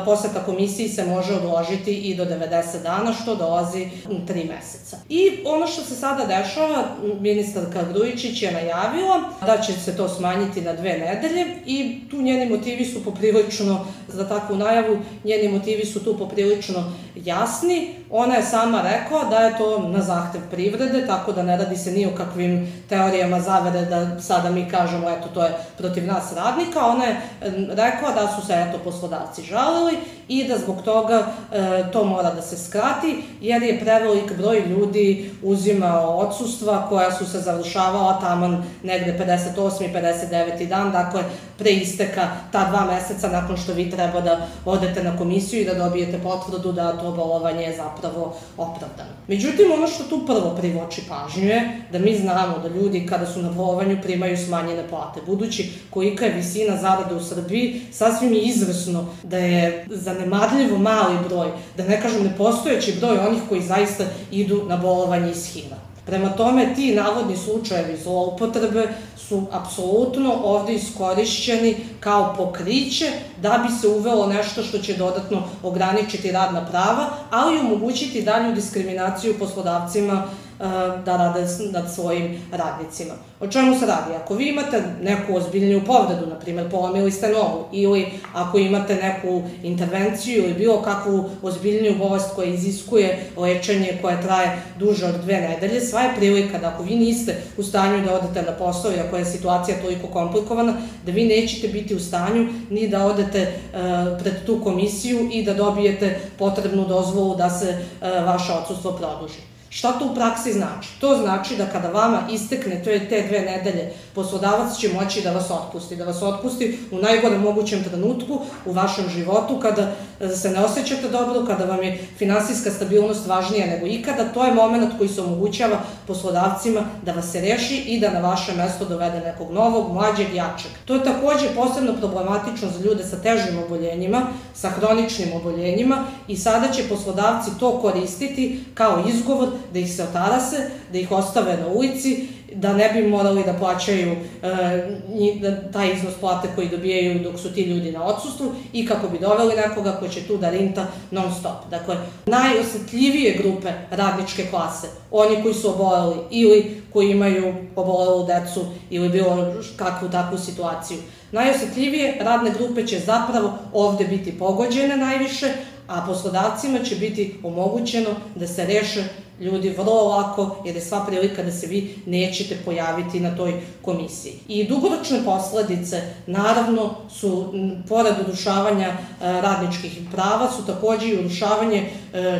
poseta komisiji se može odložiti i do 90 dana, što dolazi 3 meseca. I ono što se sada dešava, ministarka Grujičić je najavila da će se to smanjiti na 2 nedelje i tu njeni motivi su poprilično, za takvu najavu, njeni motivi su tu poprilično jasni. Ona je sama rekla da je to na zahtev privrede, tako da ne radi se ni o kakvim teorijama zavere da sada mi kažemo eto to je protiv nas radnika. Ona je rekla da su se poslodavci žalili i da zbog toga to mora da se skrati jer je prevelik broj ljudi uzimao odsustva koja su se završavala taman negde 58. i 59. dan, dakle pre isteka ta 2 meseca nakon što vi treba da odete na komisiju i da dobijete potvrdu da to bolovanje je zapravo opravdano. Međutim, ono što tu prvo privlači pažnju je da mi znamo da ljudi kada su na bolovanju primaju smanjene plate. Budući kolika je visina zarade u Srbiji, sasvim je izvesno da je zanemarljivo mali broj, da ne kažem nepostojeći broj onih koji zaista idu na bolovanje iz HIV-a. Prema tome, ti navodni slučajevi zloupotrebe su apsolutno ovde iskorišćeni kao pokriće da bi se uvelo nešto što će dodatno ograničiti radna prava, ali i omogućiti dalju diskriminaciju poslodavcima da rade nad svojim radnicima. O čemu se radi? Ako vi imate neku ozbiljniju povredu, na primjer polomili ste nogu, ili ako imate neku intervenciju ili bilo kakvu ozbiljniju bolest koja iziskuje lečenje koje traje duže od 2 nedelje, sva je prilika da ako vi niste u stanju da odete na posao i ako je situacija toliko komplikovana, da vi nećete biti u stanju ni da odete pred tu komisiju i da dobijete potrebnu dozvolu da se vaše odsustvo produži. Šta to u praksi znači? To znači da kada vama istekne te 2 nedelje, poslodavac će moći da vas otpusti u najgorem mogućem trenutku u vašem životu, kada se ne osjećate dobro, kada vam je finansijska stabilnost važnija nego ikada. To je moment koji se omogućava poslodavcima da vas se reši i da na vaše mesto dovede nekog novog, mlađeg, jačeg. To je takođe posebno problematično za ljude sa težim oboljenjima, sa hroničnim oboljenjima, i sada će poslodavci to koristiti kao izgovor da ih se otarase, da ih ostave na ulici, da ne bi morali da plaćaju taj iznos plate koji dobijaju dok su ti ljudi na odsustvu, i kako bi doveli nekoga ko će tu da rinta non stop. Dakle, najosetljivije grupe radničke klase, oni koji su oboleli ili koji imaju obolelu decu ili bilo kakvu takvu situaciju, najosetljivije radne grupe će zapravo ovde biti pogođene najviše, a poslodavcima će biti omogućeno da se reše ljudi vrlo lako, jer je sva prilika da se vi nećete pojaviti na toj komisiji. I dugoročne posledice, naravno, su, pored urušavanja radničkih prava, su takođe i urušavanje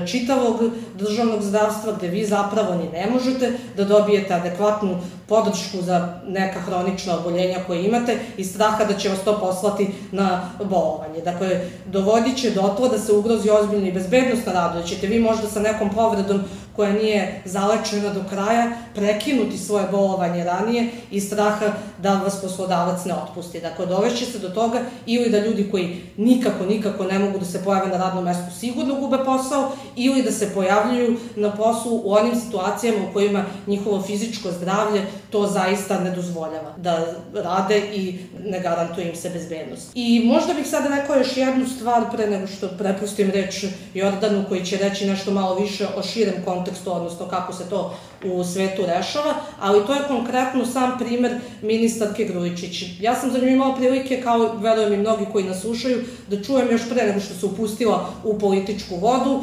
čitavog državnog zdravstva, gde vi zapravo ni ne možete da dobijete adekvatnu podršku za neka hronična oboljenja koje imate iz straha da će vas to poslati na bolovanje. Dakle, dovodit će do toga da se ugrozi ozbiljna i bezbednost na radu, da ćete vi možda sa nekom povredom koja nije zalečena do kraja prekinuti svoje bolovanje ranije iz straha da vas poslodavac ne otpusti. Dakle, dovešće se do toga ili da ljudi koji nikako ne mogu da se pojave na radnom mestu sigurno gube posao, ili da se pojavljuju na poslu u onim situacijama u kojima njihovo fizičko zdravlje to zaista ne dozvoljava da rade i ne garantuje im se bezbednost. I možda bih sada rekao još jednu stvar pre nego što prepustim reč Jordanu, koji će reći nešto malo više o širem kontekstu, odnosno kako se to u svetu rešava, ali to je konkretno sam primer ministarke Grujičić. Ja sam za nju imala prilike, kao verujem i mnogi koji nas slušaju, da čujem još pre nego što se upustila u političku vodu,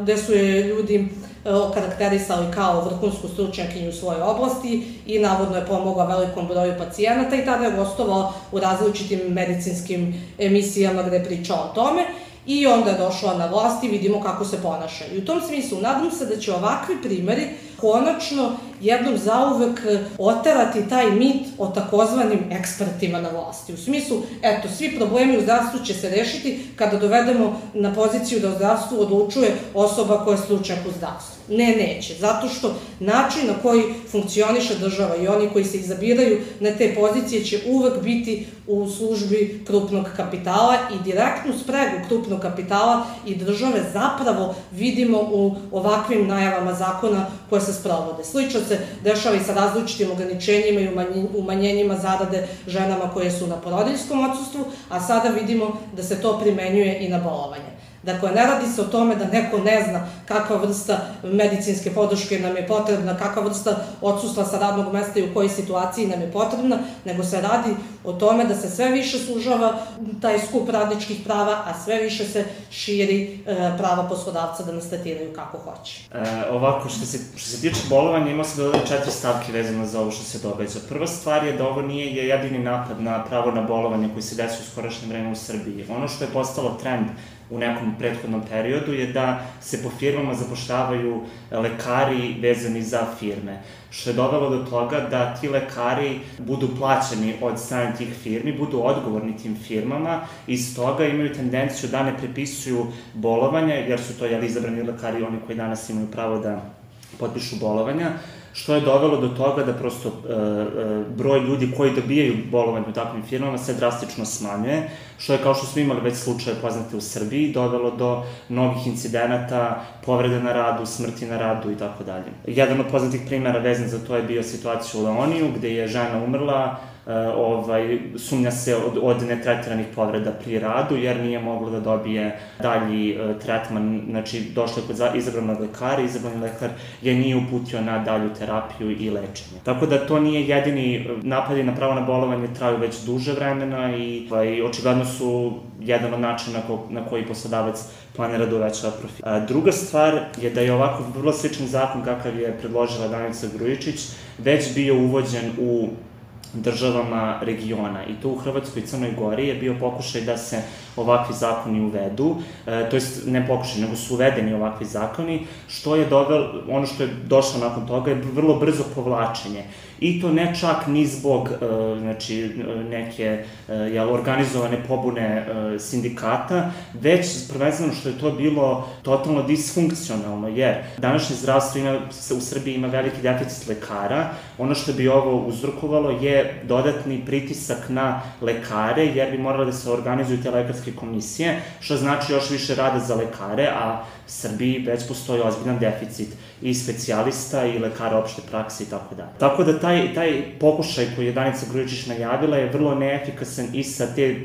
gde su je ljudi okarakterisali kao vrhunsku stručnjakinju u svojoj oblasti i navodno je pomogla velikom broju pacijenata, i tada je gostovala u različitim medicinskim emisijama gde je pričala o tome. I onda je došla na vlast i vidimo kako se ponaša. I u tom smislu nadam se da će ovakvi primeri konačno jednom zauvek oterati taj mit o takozvanim ekspertima na vlasti. U smislu, eto, svi problemi u zdravstvu će se rešiti kada dovedemo na poziciju da o zdravstvu odlučuje osoba koja je stručnjak u zdravstvu. Ne, neće. Zato što način na koji funkcioniše država i oni koji se izabiraju na te pozicije će uvek biti u službi krupnog kapitala, i direktnu spregu krupnog kapitala i države zapravo vidimo u ovakvim najavama zakona koje se sprovode. Slično se dešava i sa različitim ograničenjima i umanjenjima zarade ženama koje su na porodiljskom odsustvu, a sada vidimo da se to primenjuje i na bolovanje. Dakle, ne radi se o tome da neko ne zna kakva vrsta medicinske podrške nam je potrebna, kakva vrsta odsustva sa radnog mesta i u kojoj situaciji nam je potrebna, nego se radi o tome da se sve više sužava taj skup radničkih prava, a sve više se širi prava poslodavca da nas tretiraju kako hoće. Ovako, što se tiče bolovanja, imao se dodali 4 stavke vezano za ovo što se događa. Prva stvar je da ovo nije jedini napad na pravo na bolovanje koji se desio u skorašnje vreme u Srbiji. Ono što je postalo trend u nekom prethodnom periodu je da se po firmama zapošljavaju lekari vezani za firme, što je dovelo do toga da ti lekari budu plaćeni od strane tih firmi, budu odgovorni tim firmama i iz toga imaju tendenciju da ne prepisuju bolovanja, jer su to izabrani lekari, oni koji danas imaju pravo da potpišu bolovanja, što je dovelo do toga da prosto broj ljudi koji dobijaju bolovanje u takvim firmama se drastično smanjuje, što je, kao što smo imali već slučaje poznate u Srbiji, dovelo do mnogih incidenata, povrede na radu, smrti na radu i tako dalje. Jedan od poznatih primjera vezan za to je bio situacija u Leoniju, gde je žena umrla sumnja se od netretiranih povreda pri radu, jer nije moglo da dobije dalji tretman, znači došlo je kod izabranog lekara, izabrani lekar je nije uputio na dalju terapiju i lečenje. Tako da to nije jedini napadi na pravo na bolovanje, traju već duže vremena i očigledno su jedan od načina na koji poslodavac planira da uvećava profit. Druga stvar je da je ovako vrlo sličan zakon kakav je predložila Danica Grujičić već bio uvođen u državama regiona i to u Hrvatskoj i Crnoj Gori je bio pokušaj da se ovakvi zakoni uvedu, to jest ne pokušaj, nego su uvedeni ovakvi zakoni, ono što je došlo nakon toga je vrlo brzo povlačenje. I to ne čak ni zbog neke organizovane pobune sindikata, već prvenstveno što je to bilo totalno disfunkcionalno, jer današnje zdravstvo u Srbiji ima veliki deficit lekara. Ono što bi ovo uzrokovalo je dodatni pritisak na lekare, jer bi morale da se organizuju te lekarske komisije, što znači još više rada za lekare, a u Srbiji već postoji ozbiljan deficit i specijalista i lekara opšte prakse i tako dalje. Tako da taj pokušaj koji je Danica Grujičić najavila je vrlo neefikasan i sa te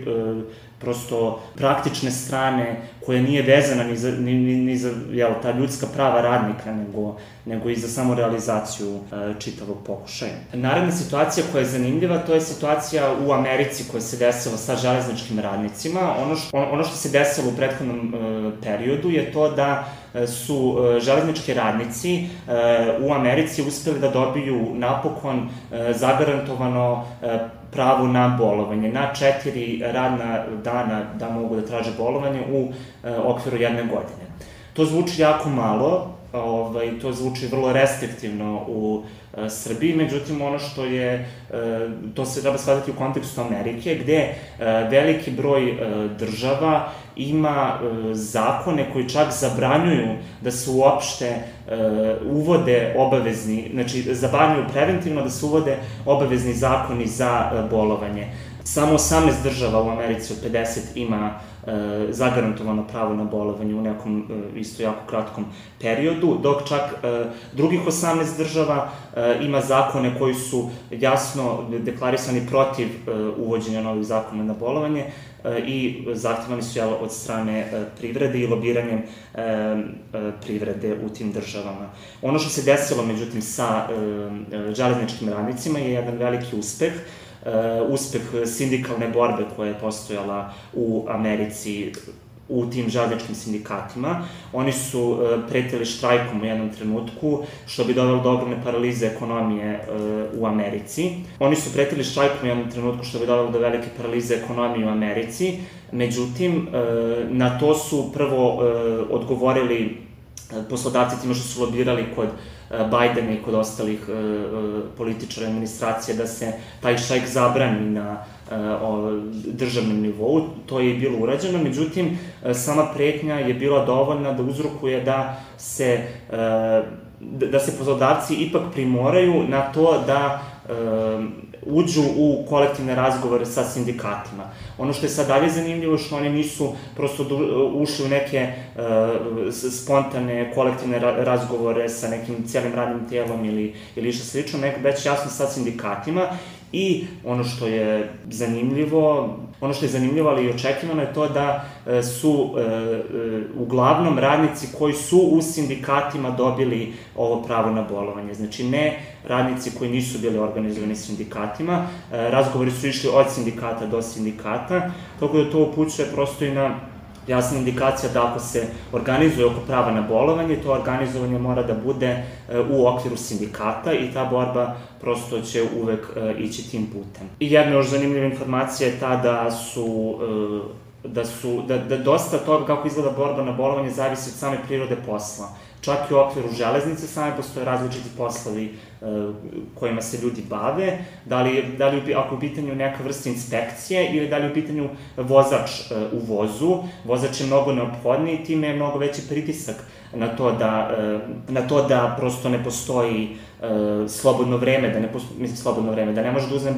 prosto praktične strane koja nije vezana ni za ta ljudska prava radnika, nego i za samu realizaciju čitavog pokušaja. Naredna situacija koja je zanimljiva, to je situacija u Americi koja se desila sa železničkim radnicima. Ono što se desilo u prethodnom periodu je to da su železnički radnici u Americi uspeli da dobiju napokon zagarantovano pravo na bolovanje, na 4 radna dana da mogu da traže bolovanje u okviru 1 godine. To zvuči jako malo, to zvuči vrlo restriktivno u Srbiji, međutim ono što je, to se treba shvatiti u kontekstu Amerike, gde veliki broj država ima zakone koji čak zabranjuju da se uopšte uvode obavezni, znači zabranjuju preventivno da se uvode obavezni zakoni za bolovanje. Samo 18 država u Americi od 50 ima zagarantovano pravo na bolovanje u nekom isto jako kratkom periodu, dok čak drugih 18 država ima zakone koji su jasno deklarisani protiv uvođenja novih zakona na bolovanje i zahtevani su od strane privrede i lobiranjem privrede u tim državama. Ono što se desilo, međutim, sa železničkim radnicima je jedan veliki uspeh sindikalne borbe koja je postojala u Americi u tim železničkim sindikatima. Oni su pretili štrajkom u jednom trenutku, što bi dovelo do ogromne paralize ekonomije u Americi. Oni su pretili štrajkom u jednom trenutku, što bi dovelo do velike paralize ekonomije u Americi. Međutim, na to su prvo odgovorili poslodavci time što su lobirali kod Bajdena i kod ostalih političara administracije da se taj štrajk zabrani na državnom nivou. To je bilo urađeno, međutim, sama pretnja je bila dovoljna da uzrokuje da se poslodavci ipak primoraju na to da uđu u kolektivne razgovore sa sindikatima. Ono što je sad dalje zanimljivo, što oni nisu prosto ušli u neke spontane kolektivne razgovore sa nekim cijelim radnim tijelom ili išta slično, nego već jasno sa sindikatima. I ono što je zanimljivo, ali i očekivano je to da su uglavnom radnici koji su u sindikatima dobili ovo pravo na bolovanje. Znači ne radnici koji nisu bili organizovani sindikatima, razgovori su išli od sindikata do sindikata, tako da to upućuje prosto i na jasna indikacija da ako se organizuje oko prava na bolovanje, to organizovanje mora da bude u okviru sindikata i ta borba prosto će uvek ići tim putem. I jedna još zanimljiva informacija je ta da dosta toga kako izgleda borba na bolovanje zavisi od same prirode posla. Čak i u okviru železnice same postoje različiti poslovi kojima se ljudi bave, da li ako je u pitanju neka vrsta inspekcije ili da li je u pitanju vozač u vozu. Vozač je mnogo neophodniji, time je mnogo veći pritisak na to da prosto ne postoji slobodno vreme, da ne može da uzme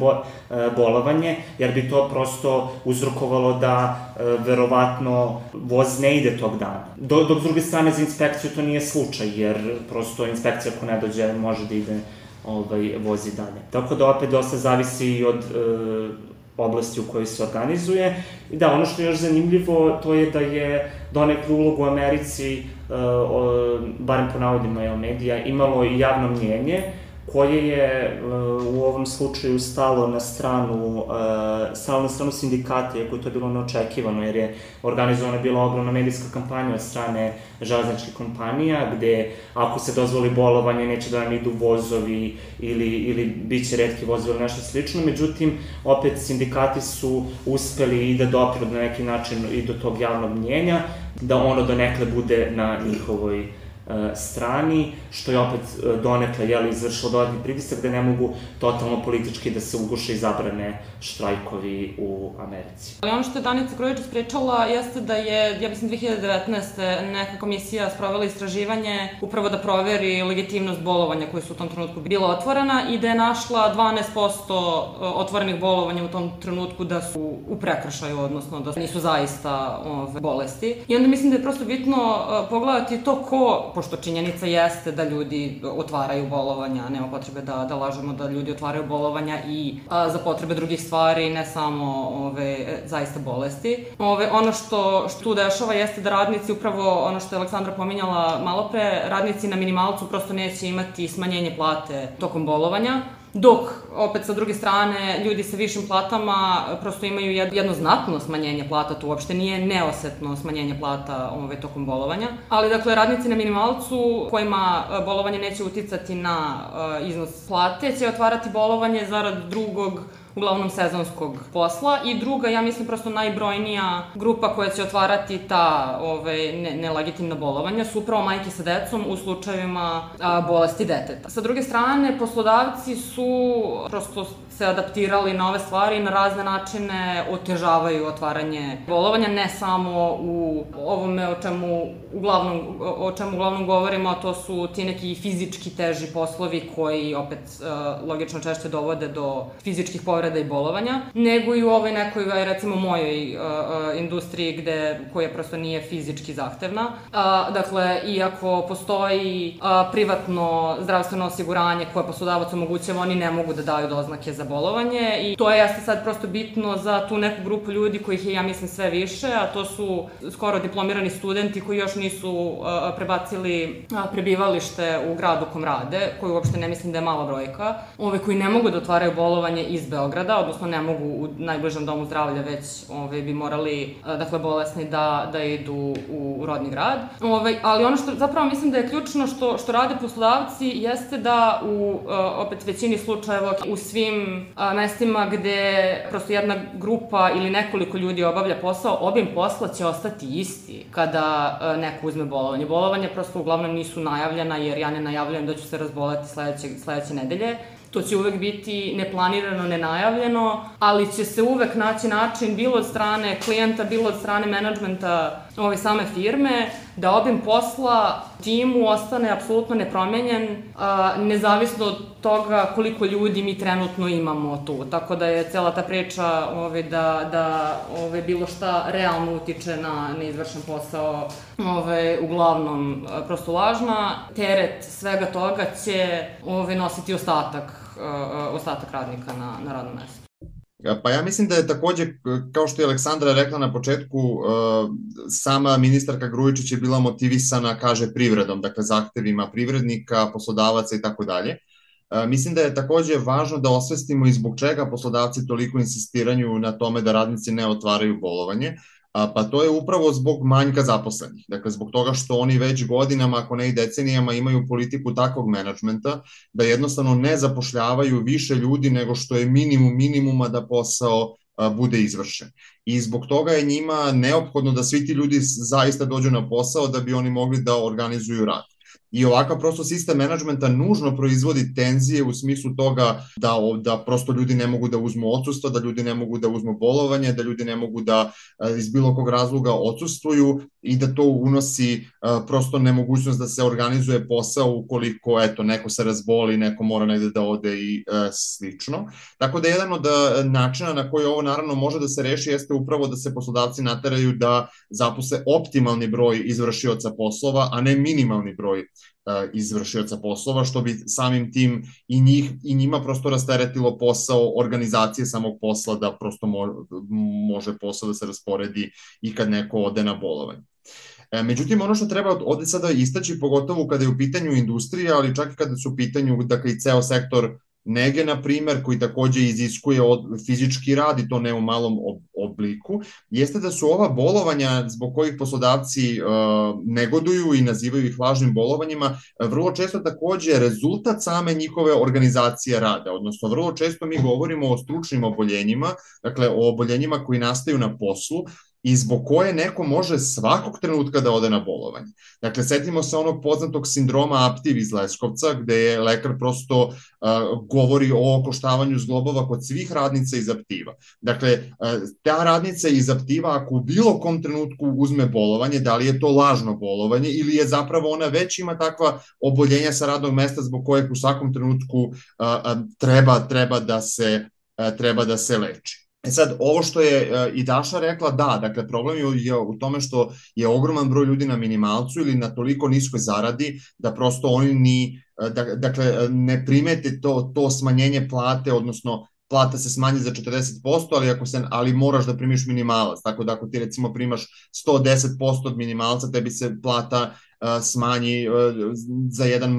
bolovanje, jer bi to prosto uzrokovalo da verovatno voz ne ide tog dana. Dok s druge strane za inspekciju to nije slučaj, jer prosto inspekcija ako ne dođe može da ide vozi dalje. Tako da opet dosta zavisi i od oblasti u kojoj se organizuje. I da, ono što je još zanimljivo, to je da je donekle ulogu u Americi, barem po navodima medija, imalo i javno mnjenje, koje je u ovom slučaju stalo na stranu sindikata, iako je to bilo neočekivano, jer je organizovana bila ogromna medijska kampanja od strane železničkih kompanija, gde ako se dozvoli bolovanje, neće da nam idu vozovi ili bit će retki vozovi ili nešto slično. Međutim, opet sindikati su uspeli i da dopiru na neki način i do tog javnog mnjenja, da ono donekle bude na njihovoj strani, što je opet donekle izvršilo dodatni pritisak da ne mogu totalno politički da se uguše i zabrane štrajkovi u Americi. Ali ono što je Danica Grujičić pričala jeste da je, ja mislim, 2019. neka komisija sprovela istraživanje upravo da proveri legitimnost bolovanja koje su u tom trenutku bila otvorena i da je našla 12% otvorenih bolovanja u tom trenutku da su u prekršaju, odnosno da nisu zaista bolesti. I onda mislim da je prosto bitno pogledati to ko, pošto činjenica jeste da ljudi otvaraju bolovanja, nema potrebe da lažemo da ljudi otvaraju bolovanja i za potrebe drugih stvari, ne samo zaista bolesti. Ono što tu dešava jeste da radnici, upravo ono što je Aleksandra pominjala malo pre, radnici na minimalcu prosto neće imati smanjenje plate tokom bolovanja, dok, opet sa druge strane, ljudi sa višim platama prosto imaju jedno znatno smanjenje plata, to uopšte nije neosetno smanjenje plata tokom bolovanja. Ali, dakle, radnici na minimalcu kojima bolovanje neće uticati na iznos plate će otvarati bolovanje zarad drugog, uglavnom sezonskog posla, i druga, ja mislim, prosto najbrojnija grupa koja će otvarati ta nelegitimna bolovanja su upravo majke sa decom u slučajevima bolesti deteta. Sa druge strane, poslodavci su prosto se adaptirali na ove stvari i na razne načine otežavaju otvaranje bolovanja, ne samo u ovome o čemu uglavnom govorimo, a to su ti neki fizički teži poslovi koji opet logično češće dovode do fizičkih povreda i bolovanja, nego i u ovoj nekoj, recimo mojoj industriji koja prosto nije fizički zahtevna. Dakle, iako postoji privatno zdravstveno osiguranje koje poslodavac omogućava, oni ne mogu da daju doznake za bolovanje i to jeste sad prosto bitno za tu neku grupu ljudi kojih je, ja mislim, sve više, a to su skoro diplomirani studenti koji još nisu prebacili prebivalište u grad u kom rade, koji uopšte ne mislim da je mala brojka, koji ne mogu da otvaraju bolovanje iz Beograda, odnosno ne mogu u najbližem domu zdravlja, već bi morali, dakle, bolesni da idu u rodni grad. Ali ono što zapravo mislim da je ključno što rade poslodavci jeste da u opet većini slučajeva u svim mestima gde prosto jedna grupa ili nekoliko ljudi obavlja posao, obim posla će ostati isti kada neko uzme bolovanje. Bolovanje prosto uglavnom nisu najavljena, jer ja ne najavljujem da ću se razboleti sledeće nedelje. To će uvek biti neplanirano, nenajavljeno, ali će se uvek naći način, bilo od strane klijenta, bilo od strane menadžmenta same firme, da obim posla timu ostane apsolutno nepromenjen, nezavisno od toga koliko ljudi mi trenutno imamo tu. Tako da je cela ta priča da bilo šta realno utiče na neizvršen posao uglavnom prosto lažna. Teret svega toga će nositi ostatak radnika na radnom mestu. Pa ja mislim da je takođe, kao što je Aleksandra rekla na početku, sama ministarka Grujičić je bila motivisana, kaže, privredom, dakle zahtevima privrednika, poslodavaca i tako dalje. Mislim da je takođe važno da osvestimo i zbog čega poslodavci toliko insistiraju na tome da radnici ne otvaraju bolovanje, pa to je upravo zbog manjka zaposlenih. Dakle, zbog toga što oni već godinama, ako ne i decenijama, imaju politiku takvog menadžmenta da jednostavno ne zapošljavaju više ljudi nego što je minimuma da posao bude izvršen. I zbog toga je njima neophodno da svi ti ljudi zaista dođu na posao da bi oni mogli da organizuju rad. I ovakav prosto sistem menadžmenta nužno proizvodi tenzije u smislu toga da prosto ljudi ne mogu da uzmu odsustvo, da ljudi ne mogu da uzmu bolovanje, da ljudi ne mogu da iz bilo kog razloga odsustvuju i da to unosi prosto nemogućnost da se organizuje posao ukoliko, neko se razboli, neko mora negde da ode i slično. Tako da jedan od načina na koji ovo naravno može da se reši jeste upravo da se poslodavci nateraju da zaposle optimalni broj izvršioca poslova, a ne minimalni broj izvršioca poslova, što bi samim tim i njima prosto rasteretilo posao organizacije samog posla, da prosto može posao da se rasporedi i kad neko ode na bolovanje. Međutim, ono što treba ovde sada istaći, pogotovo kada je u pitanju industrija, ali čak i kada su u pitanju, dakle, i ceo sektor nege, na primer, koji takođe iziskuje fizički rad i to ne u malom obliku, jeste da su ova bolovanja zbog kojih poslodavci negoduju i nazivaju ih lažnim bolovanjima, vrlo često takođe rezultat same njihove organizacije rada, odnosno vrlo često mi govorimo o stručnim oboljenjima, dakle o oboljenjima koji nastaju na poslu, i zbog koje neko može svakog trenutka da ode na bolovanje. Dakle, setimo se onog poznatog sindroma Aptiv iz Leskovca, gde je lekar prosto govori o okoštavanju zglobova kod svih radnica iz Aptiva. Dakle, ta radnica iz Aptiva, ako u bilo kom trenutku uzme bolovanje, da li je to lažno bolovanje ili je zapravo ona već ima takva oboljenja sa radnog mesta zbog kojeg u svakom trenutku treba da se leči. Sad, ovo što je i Daša rekla, da, dakle, problem je u tome što je ogroman broj ljudi na minimalcu ili na toliko niskoj zaradi, da prosto oni dakle, ne primete to smanjenje plate, odnosno plata se smanji za 40%, ali moraš da primiš minimalac, tako da ako ti recimo primaš 110% od minimalca, tebi se plata smanji za jedan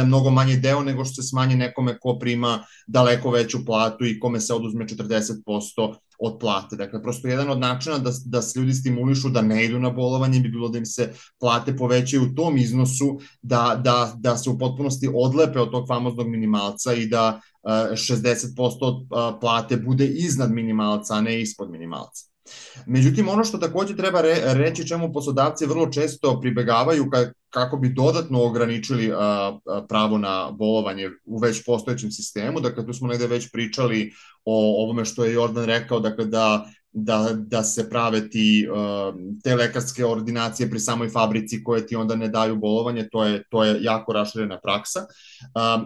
mnogo manji deo nego što se smanji nekome ko prima daleko veću platu i kome se oduzme 40% od plate. Dakle, prosto jedan od načina da se ljudi stimulišu da ne idu na bolovanje bi bilo da im se plate povećaju u tom iznosu, da se u potpunosti odlepe od tog famoznog minimalca i da 60% plate bude iznad minimalca, a ne ispod minimalca. Međutim, ono što takođe treba reći, čemu poslodavci vrlo često pribegavaju kako bi dodatno ograničili pravo na bolovanje u već postojećem sistemu, dakle tu smo negde već pričali o ovome što je Jordan rekao, dakle da se prave te lekarske ordinacije pri samoj fabrici koje ti onda ne daju bolovanje, to je jako raširena praksa.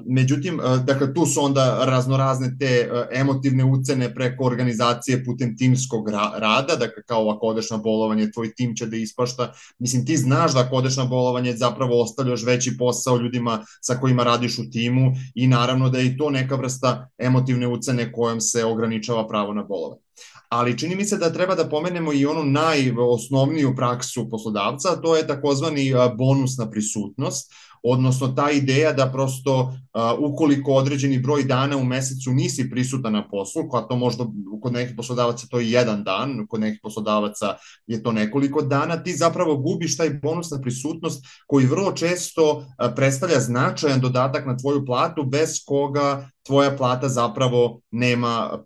Međutim, dakle, tu su onda raznorazne te emotivne ucene preko organizacije putem timskog rada, dakle, kao ako odeš na bolovanje, tvoj tim će da ispašta. Mislim, ti znaš da ako odeš na bolovanje zapravo ostavljaš veći posao ljudima sa kojima radiš u timu i naravno da je i to neka vrsta emotivne ucene kojom se ograničava pravo na bolovanje. Ali čini mi se da treba da pomenemo i onu najosnovniju praksu poslodavca, a to je takozvani bonus na prisutnost, odnosno ta ideja da prosto ukoliko određeni broj dana u mesecu nisi prisutan na poslu, koja to možda kod nekih poslodavaca to je jedan dan, kod nekih poslodavaca je to nekoliko dana, ti zapravo gubiš taj bonus na prisutnost koji vrlo često predstavlja značajan dodatak na tvoju platu, bez koga tvoja plata zapravo nema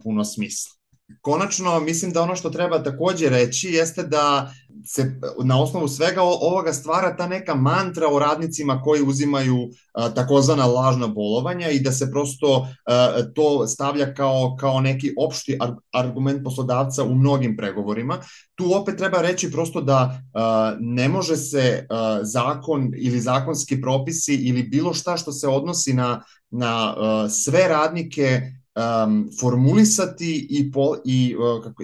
puno smisla. Konačno, mislim da ono što treba takođe reći jeste da se na osnovu svega ovoga stvara ta neka mantra o radnicima koji uzimaju takozvana lažna bolovanja i da se prosto to stavlja kao neki opšti argument poslodavca u mnogim pregovorima. Tu opet treba reći prosto da ne može se zakon ili zakonski propisi ili bilo šta što se odnosi na sve radnike formulisati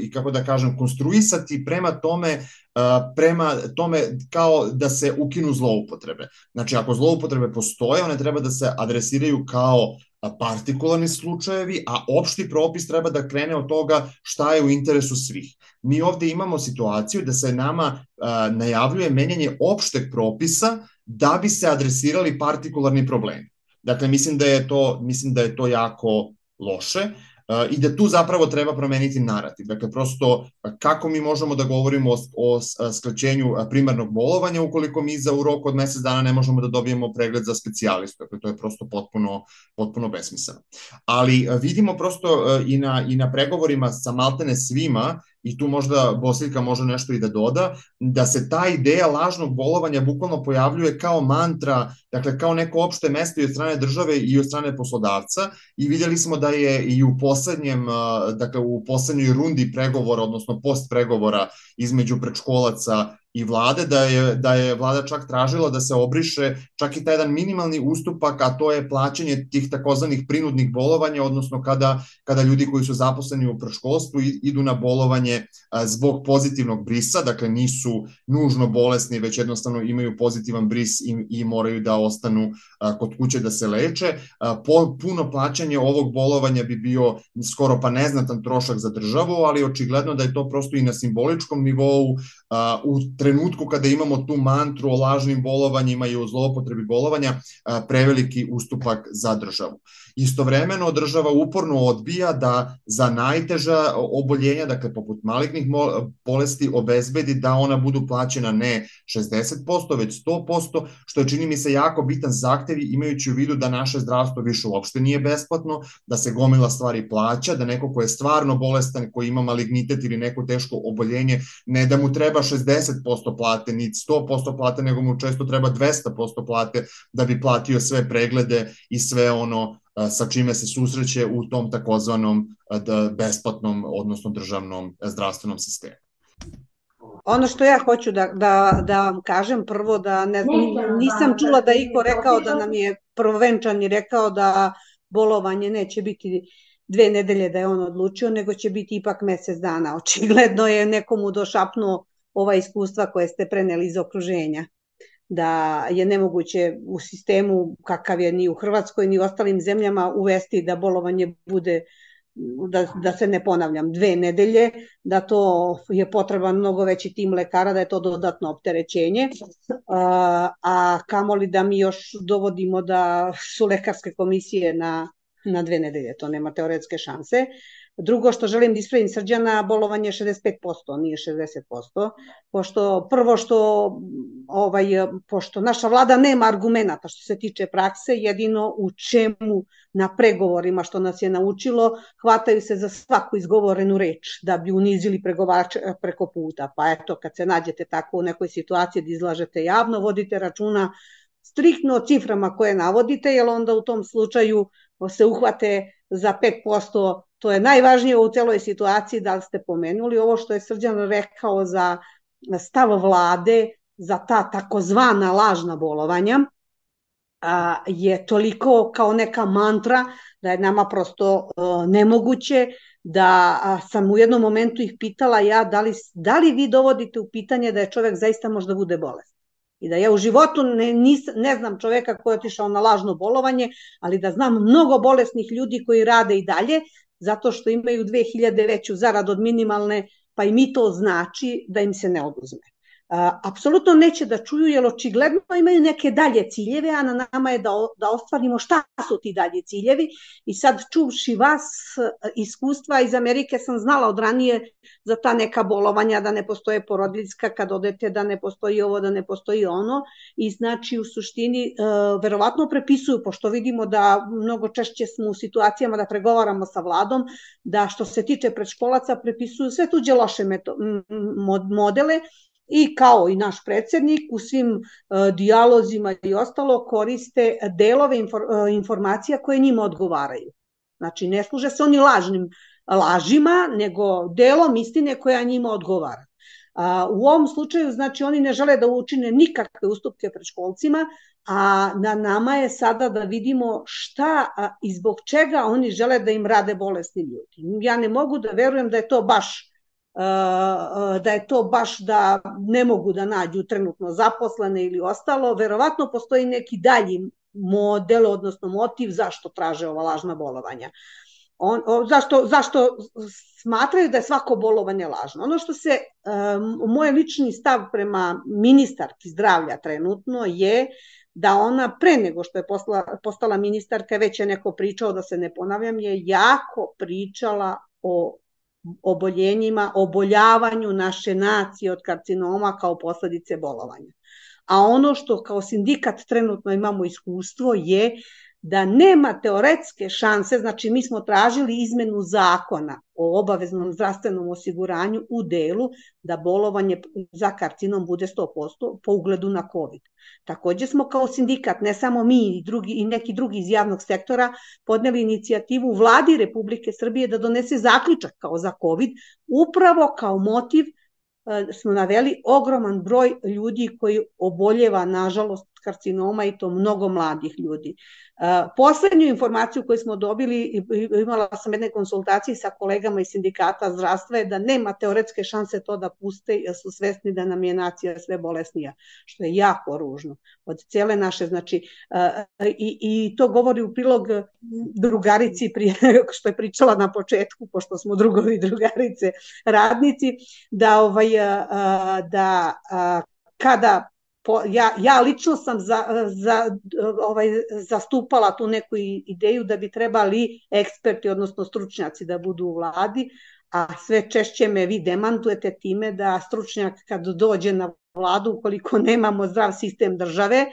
i kako da kažem, konstruisati prema tome kao da se ukinu zloupotrebe. Znači, ako zloupotrebe postoje, one treba da se adresiraju kao partikularni slučajevi, a opšti propis treba da krene od toga šta je u interesu svih. Mi ovde imamo situaciju da se nama najavljuje menjanje opšteg propisa da bi se adresirali partikularni problemi. Dakle, mislim da je to jako loše i da tu zapravo treba promeniti narativ. Dakle, prosto kako mi možemo da govorimo o skraćenju primarnog bolovanja ukoliko mi u roku od mesec dana ne možemo da dobijemo pregled za specijalistu. Dakle, to je prosto potpuno besmisleno. Ali vidimo prosto i na pregovorima sa maltene svima, i tu možda Bosiljka može nešto i da doda, da se ta ideja lažnog bolovanja bukvalno pojavljuje kao mantra, dakle kao neko opšte mesto i od strane države i od strane poslodavca, i vidjeli smo da je i u poslednjoj rundi pregovora, odnosno post pregovora između predškolaca i vlade, da je vlada čak tražila da se obriše čak i taj jedan minimalni ustupak, a to je plaćanje tih takozvanih prinudnih bolovanja, odnosno kada ljudi koji su zaposleni u predškolstvu idu na bolovanje zbog pozitivnog brisa, dakle nisu nužno bolesni, već jednostavno imaju pozitivan bris i moraju da ostanu kod kuće da se leče. Puno plaćanje ovog bolovanja bi bio skoro pa neznatan trošak za državu, ali očigledno da je to prosto i na simboličkom nivou u trenutku kada imamo tu mantru o lažnim bolovanjima i o zloupotrebi bolovanja preveliki ustupak za državu. Istovremeno država uporno odbija da za najteža oboljenja, dakle poput malignih bolesti, obezbedi da ona budu plaćena ne 60%, već 100%, što je čini mi se jako bitan zahtev imajući u vidu da naše zdravstvo više uopšte nije besplatno, da se gomila stvari plaća, da neko ko je stvarno bolestan, koji ima malignitet ili neko teško oboljenje, ne da mu treba 60% plate, ni 100% plate, nego mu često treba 200% plate da bi platio sve preglede i sve ono sa čime se susreće u tom takozvanom besplatnom, odnosno državnom zdravstvenom sistemu. Ono što ja hoću da vam kažem, prvo da nisam čula da iko rekao da nam je prvovenčani rekao da bolovanje neće biti 2 nedelje da je on odlučio, nego će biti ipak mesec dana. Očigledno je nekomu došapnuo ova iskustva koje ste preneli iz okruženja, da je nemoguće u sistemu kakav je ni u Hrvatskoj ni u ostalim zemljama uvesti da bolovanje bude, da se ne ponavljam, 2 nedelje, da to je potreban mnogo veći tim lekara, da je to dodatno opterećenje, a kamoli da mi još dovodimo da su lekarske komisije na 2 nedelje, to nema teoretske šanse. Drugo što želim da ispravim Srđana, bolovanje je 65%, nije 60%, pošto naša vlada nema argumenta što se tiče prakse, jedino u čemu na pregovorima što nas je naučilo, hvataju se za svaku izgovorenu reč da bi unizili pregovarače preko puta. Pa eto, kad se nađete tako u nekoj situaciji da izlažete javno, vodite računa striktno o ciframa koje navodite, jer onda u tom slučaju se uhvate za 5%. To je najvažnije u celoj situaciji, da li ste pomenuli ovo što je Srđan rekao za stav vlade, za ta takozvana lažna bolovanja, je toliko kao neka mantra da je nama prosto nemoguće, da sam u jednom momentu ih pitala ja da li vi dovodite u pitanje da je čovek zaista možda bude bolestan. I da ja u životu ne znam čoveka koji je otišao na lažno bolovanje, ali da znam mnogo bolesnih ljudi koji rade i dalje, zato što imaju 2000 veću zaradu od minimalne, pa i mi to znači da im se ne oduzme. Apsolutno neće da čuju, jer očigledno imaju neke dalje ciljeve, a na nama je da ostvarimo šta su ti dalje ciljevi. I sad čuvši vas iskustva iz Amerike, sam znala od ranije za ta neka bolovanja, da ne postoje porodiljska kad odete, da ne postoji ovo, da ne postoji ono. I znači u suštini verovatno prepisuju, pošto vidimo da mnogo češće smo u situacijama da pregovaramo sa vladom, da što se tiče predškolaca prepisuju sve tuđe loše modele, i kao i naš predsednik u svim dijalozima i ostalo koriste delove informacija koje njima odgovaraju. Znači ne služe se oni lažima, nego delom istine koja njima odgovara. U ovom slučaju, znači, oni ne žele da učine nikakve ustupke predškolcima, a na nama je sada da vidimo šta i zbog čega oni žele da im rade bolesni ljudi. Ja ne mogu da verujem da je to baš da ne mogu da nađu trenutno zaposlene ili ostalo. Verovatno postoji neki dalji model, odnosno motiv zašto traže ova lažna bolovanja. Zašto smatraju da je svako bolovanje lažno. Ono što se, moj lični stav prema ministarki zdravlja trenutno je da ona pre nego što je postala ministarka, već je neko pričao, da se ne ponavljam, je jako pričala o oboljavanju naše nacije od karcinoma kao posledice bolovanja. A ono što kao sindikat trenutno imamo iskustvo je da nema teoretske šanse, znači mi smo tražili izmenu zakona o obaveznom zdravstvenom osiguranju u delu da bolovanje za karcinom bude 100% po ugledu na COVID. Takođe smo kao sindikat, ne samo mi i neki drugi iz javnog sektora, podneli inicijativu vladi Republike Srbije da donese zaključak kao za COVID, upravo kao motiv smo naveli ogroman broj ljudi koji oboljeva, nažalost, karcinoma i to mnogo mladih ljudi. Poslednju informaciju koju smo dobili, imala sam jedne konsultacije sa kolegama iz sindikata zdravstva, je da nema teoretske šanse to da puste, jer su svesni da nam je nacija sve bolesnija, što je jako ružno. Od cijele naše, znači, i to govori u prilog drugarici što je pričala na početku, pošto smo drugovi i drugarice radnici, da kada ja lično sam zastupala tu neku ideju da bi trebali eksperti, odnosno stručnjaci da budu u vladi, a sve češće me vi demantujete time da stručnjak kad dođe na vladu, ukoliko nemamo zdrav sistem države,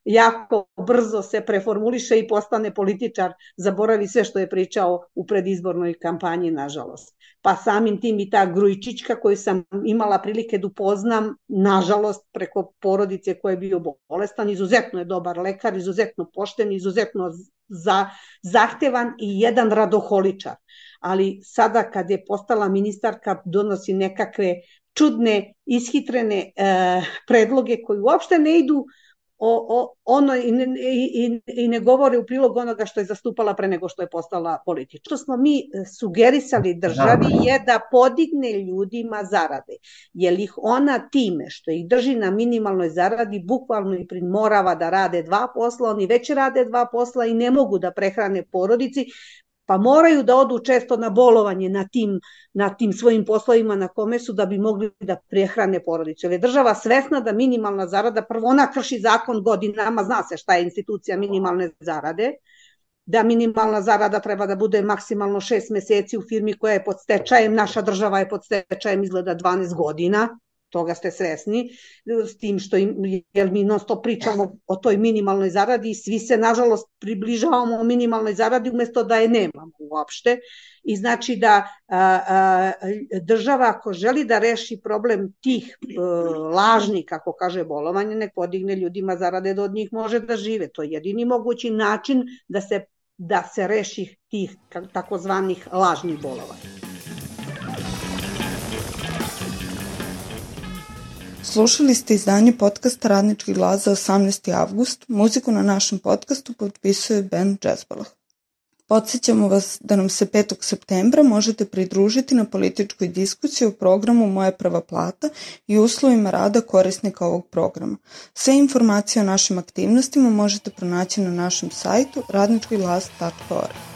jako brzo se preformuliše i postane političar, zaboravi sve što je pričao u predizbornoj kampanji, nažalost. Pa samim tim i ta Grujičićka koju sam imala prilike da upoznam, nažalost, preko porodice koja je bio bolestan, izuzetno je dobar lekar, izuzetno pošten, izuzetno zahtevan i jedan radoholičar. Ali sada kad je postala ministarka, donosi nekakve čudne, ishitrene predloge koji uopšte ne idu i ne govore u prilog onoga što je zastupala pre nego što je postala politička. Što smo mi sugerisali državi je da podigne ljudima zarade, jer ih ona time što ih drži na minimalnoj zaradi bukvalno i primorava da rade 2 posla, oni već rade 2 posla i ne mogu da prehrane porodici, pa moraju da odu često na bolovanje na tim svojim poslovima na kome su da bi mogli da prehrane porodicu. Jer je država svesna da minimalna zarada, prvo ona krši zakon godinama, zna se šta je institucija minimalne zarade, da minimalna zarada treba da bude maksimalno 6 meseci u firmi koja je pod stečajem, naša država je pod stečajem izgleda 12 godina, toga ste svesni, s tim što jer mi non stop pričamo o toj minimalnoj zaradi i svi se nažalost približavamo minimalnoj zaradi umesto da je nemamo uopšte. I znači da država ako želi da reši problem tih lažnih, kako kaže, bolovanja, nek podigne ljudima zarade da od njih može da žive. To je jedini mogući način da se reši tih takozvanih lažnih bolovanja. Slušali ste izdanje podcasta Radnički glas za 18. avgust. Muziku na našem podcastu potpisuje band Džezbalah. Podsjećamo vas da nam se 5. septembra možete pridružiti na političkoj diskusiji o programu Moja prva plata i uslovima rada korisnika ovog programa. Sve informacije o našim aktivnostima možete pronaći na našem sajtu radničkiglas.org.